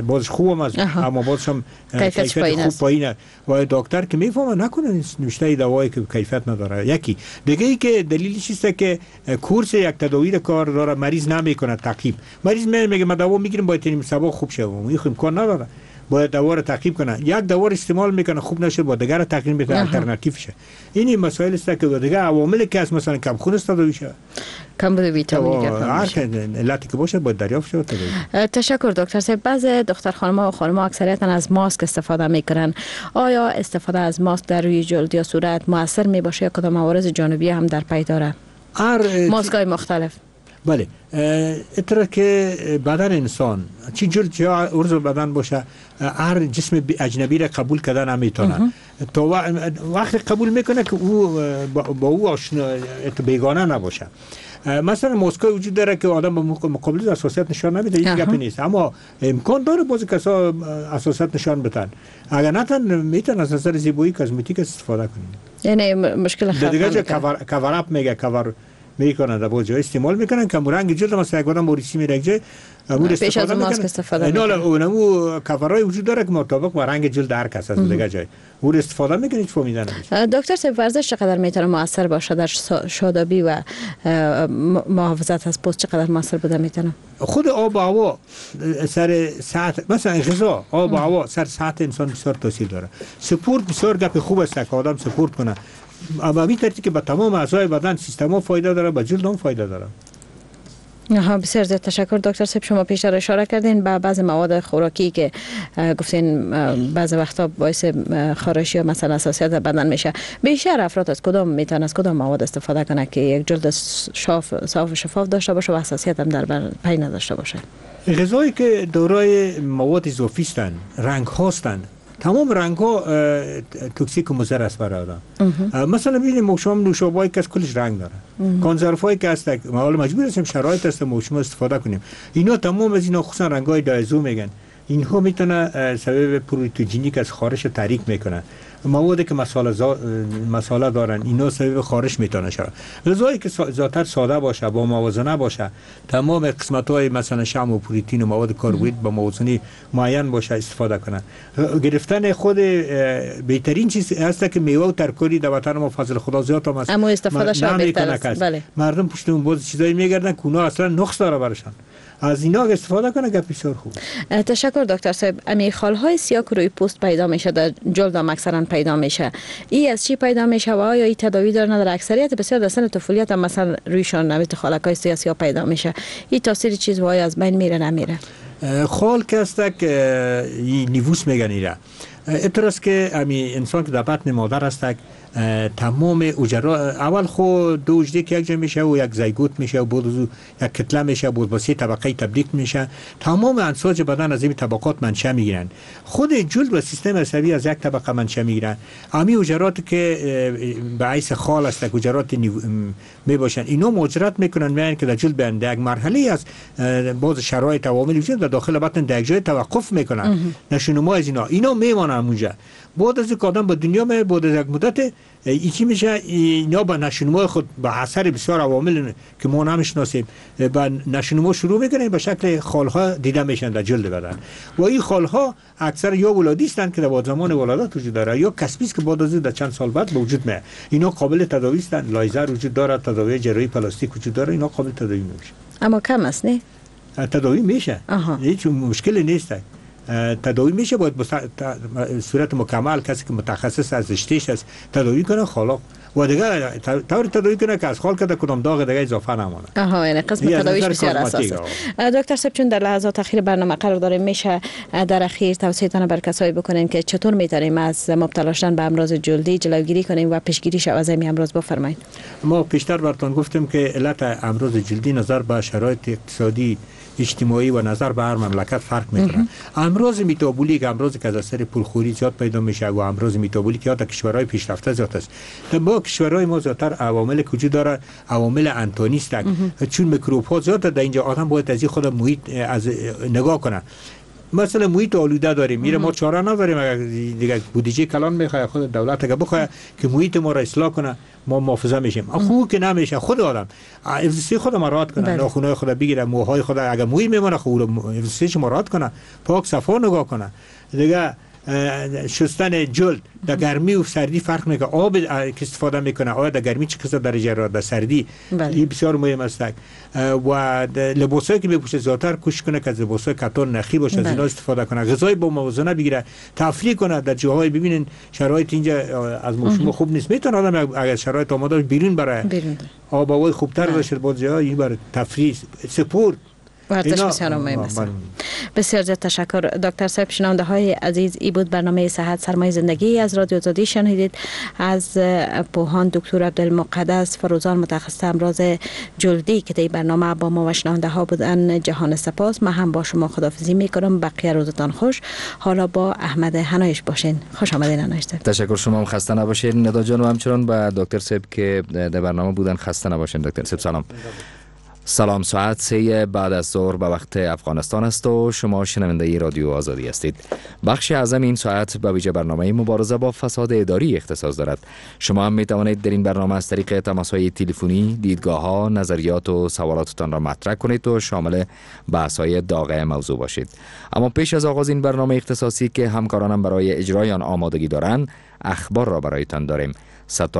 Speaker 3: بازش خوبم است، اما بازش هم کیفیت خوب پایینه و دکتر که میفهمه نکنه نوشته دوایی که کیفیت نداره. یکی دیگه ای که دلیلش است که کورس یک تداوی کار داره، مریض نمیکنه تعقیب. مریض میگه من دوا میگیرم باید نیم صبح خوب شه، این امکان نداره، باید دوا رو تعقیب کنه. یک دوا رو استعمال میکنه خوب نشه، با دیگر تغییر میده، آلترناتیو شه. این مسائل است که دیگه عوامل که از مثلا کم خون است تداوی شه،
Speaker 2: کم بوده ویتامین
Speaker 3: هر علتی که باشه باید دریافت شود.
Speaker 2: تشکر دکتر صاحب. بعض دختر خانم‌ها و خانم‌ها اکثریتا از ماسک استفاده میکنن. آیا استفاده از ماسک در روی جلد یا صورت موثر میباشه یا کدام عوارض جانبی هم در پی داره؟ ماسک های مختلف.
Speaker 3: بله، اتره که بدن انسان چی جلد چه عضو بدن باشه، هر جسم اجنبی را قبول کردن نمیتونه. تا وقتی قبول میکنه که او با او آشنا بیگانه نباشه. مثلا ماسکای وجود داره که آدم به مقابل حساسیت نشان نمیده، هیچ گپی نیست، اما امکان داره بعضی کسا حساسیت نشان بدن. اگر نتن میتونن از نظر زیبایی cosmetic استفاده کنیم،
Speaker 2: یعنی مشکل خطر
Speaker 3: دیگه cover up میگه، کاور میکنن در بعضی جای استعمال میکنن که رنگ جلد مثلا یک آدم موریسی میره یک جای
Speaker 2: پیش از ماسک استفاده میکنن.
Speaker 3: اونمو کاورای وجود داره که مطابق با رنگ جلد هر کس از دیگه جای اون استفاده میکنه، هیچ فهمیده نمیشه.
Speaker 2: دکتر صاحب، ورزش چقدر میتونه موثر باشه در شادابی و محافظت از پوست؟ چقدر موثر بوده میتونه؟
Speaker 3: خود آب و هوا سر ساعت، مثلا غذا، آب و هوا سر ساعت انسان بسیار تاثیر داره. سپورت بسیار گپ خوب است که آدم سپورت کنه، اما همین ترتیب که به تمام اعضای بدن سیستم ها فایده داره، به جلد هم فایده داره.
Speaker 2: آها، بسیار زیاد تشکر دکتر صاحب. شما پیشتر اشاره کردین به بعض مواد خوراکی که گفتین بعض وقتا باعث خارش یا مثلا حساسیت در بدن میشه. بیشتر افراد از کدام میتونن از کدام مواد استفاده کنه که یک جلد صاف و شفاف داشته باشه و حساسیت هم در بر پی نداشته باشه؟
Speaker 3: غذایی که دارای مواد اضافی هستند، رنگ هستند، تمام رنگ ها توکسیک و مضر است برای آدم. مثلا ببینیم موشم نوشابه‌ای که از کلش رنگ داره، کنسروهای که هست، ما حالا مجبور هستیم شرایط هست ما شما استفاده کنیم. اینا تمام از اینا خصوصا رنگ های diazo میگن، اینها میتونه سبب پروتوژینیک از خارش تحریک میکنه. موادی که مساله دارن اینا سبب خارش میتونه شود. غذایی که زیادتر ساده باشه، با موازنه باشه، تمام قسمت های مثلا شحم و پروتئین و مواد کربوهیدرات با موازنه معین باشه استفاده کنه. گرفتن خود بهترین چیز هست که میوه و ترکاری در وطن ما فضل خدا زیاد هم است،
Speaker 2: اما استفاده شود بهتر است. بله.
Speaker 3: مردم پشت اون باز چیزایی میگردن که اونا اصلا نقص داره برشان، از اینا استفاده کنه که بسیار خوب.
Speaker 2: تشکر دکتر صاحب. امی خالهای سیاه که روی پوست پیدا میشه، در جلد هم اکثرا پیدا میشه، ای از چی پیدا میشه و آیا ای تداوی داره نداره؟ اکثریت بسیار در سن طفولیت هم مثلا رویشان نویت خالکای سیاه پیدا میشه، این تاثیر چیز و آیا از بین میره نمیره؟
Speaker 3: خال که است که nevus میگن ایره، اتراست که امی انسان که در بطن مادر است تمام اجرا اول خو دو اجده که یک جا میشه و یک زیگوت میشه و بعد یک کتله میشه و بعد با سه طبقه تبدیل میشه. تمام انساج بدن از این طبقات منشأ میگیرن. خود جلد و سیستم عصبی از یک طبقه منشأ میگیرن. امی اجرات که به حیث خال است که اجرات میباشن، اینا مهاجرت میکنن میان که در جلد بیان در یک مرحله از باز شرایط عوامل وجود در داخل بطن در یک جای توقف میکنن. نشونما از اینا میمانن اونجا. بعد از اینکه آدم به دنیا میاد، بعد از یک مدت ایچی میشه، اینا با نشونما خود با اثر بسیار عوامل که ما نمیشناسیم با نشونما شروع میکنه به شکل خالها دیده میشن در جلد بدن. و این خالها اکثر یا ولادی هستند که در زمان ولادت وجود داره، یا کسبی است که بعد از در چند سال بعد به وجود میاد. اینا قابل تداوی هستند، لایزر وجود داره، تداوی جراحی پلاستیک وجود داره، اینا قابل تداوی میشه.
Speaker 2: اما کم است نه؟
Speaker 3: تداوی میشه، هیچ مشکلی نیست. تداوی میشه، باید به صورت مکمل کسی که متخصص از رشتهش است تداوی کنه خالق و دیگه طور تداوی کنه که از خال کده کدام داغ دیگه اضافه نمانه.
Speaker 2: آها، یعنی قسم تداویش بسیار اساس است. دکتر صاحب چون در لحظات اخیر برنامه قرار داریم، میشه در اخیر توصیه‌تان بر کسایی بکنین که چطور میتونیم از مبتلا شدن به امراض جلدی جلوگیری کنیم و پیشگیری شود از این امراض؟ بفرمایید.
Speaker 3: ما پیشتر براتون گفتیم که علت امراض جلدی نظر به شرایط اقتصادی اجتماعی و نظر به هر مملکت فرق میکنه. امراض متابولیک، امراضی که از اثر پولخوری زیاد پیدا میشه و امراض متابولیک یا در کشورهای پیشرفته زیاد است. در با کشورهای ما زیادتر عوامل که وجود داره عوامل انتونی است، چون میکروب ها زیاد در اینجا آدم باید از خود محیط از نگاه کنه. مثلا محیط آلوده داریم، میره ما چاره نداریم، اگر دیگه بودجه کلان میخواد خود دولت اگه بخواد که محیط ما را اصلاح کنه ما محافظه میشیم. خو که نمیشه، خود آدم افزسی خود مراعات کنه، ناخونای خود بگیره، موهای خود اگه موی میمونه خو افزسیش مراعات کنه، پاک صفا نگاه کنه. دیگه شستن جلد در گرمی و سردی فرق میکنه، آب که استفاده میکنه آیا در گرمی چه قسم درجه را در سردی، این بسیار مهم است. و لباسایی که میپوشه زیادتر کوشش کنه که از لباسای کتان نخی باشه، از اینا استفاده کنه، غذای با موازنه بگیره، تفریح کنه. در جاهای ببینین شرایط اینجا از موسم خوب نیست، میتونه آدم اگر شرایط آماده بیرون بره، آب و هوای خوبتر باشه، باز جاهای این برای تفریح، سپورت،
Speaker 2: ورزش بسیار مهم است. بسیار زیاد تشکر دکتر صاحب. شنونده های عزیز، ای بود برنامه صحت سرمایه زندگی از رادیو آزادی. شنیدید از پوهان دکتر عبدالمقدس فروزان، متخصص امراض جلدی که در برنامه با ما و شنونده ها بودن. جهان سپاس. من هم با شما خداحافظی میکنم. بقیه روزتان خوش. حالا با احمد هنایش باشین. خوش آمدین هنایش.
Speaker 15: تشکر، شما هم خسته نباشین ندا جان و همچنان با دکتر صاحب که در برنامه بودن. خسته نباشین دکتر صاحب. سلام. سلام. ساعت 3 بعد از ظهر به وقت افغانستان است و شما شنونده رادیو آزادی هستید. بخش اعظم این ساعت به ویژه برنامه مبارزه با فساد اداری اختصاص دارد. شما هم می توانید در این برنامه از طریق تماس‌های تلفنی دیدگاه‌ها، نظریات و سوالاتتان را مطرح کنید و شامل بحث‌های داغ موضوع باشید. اما پیش از آغاز این برنامه اختصاصی که همکارانم برای اجرای آن آمادگی دارند، اخبار را برایتان داریم.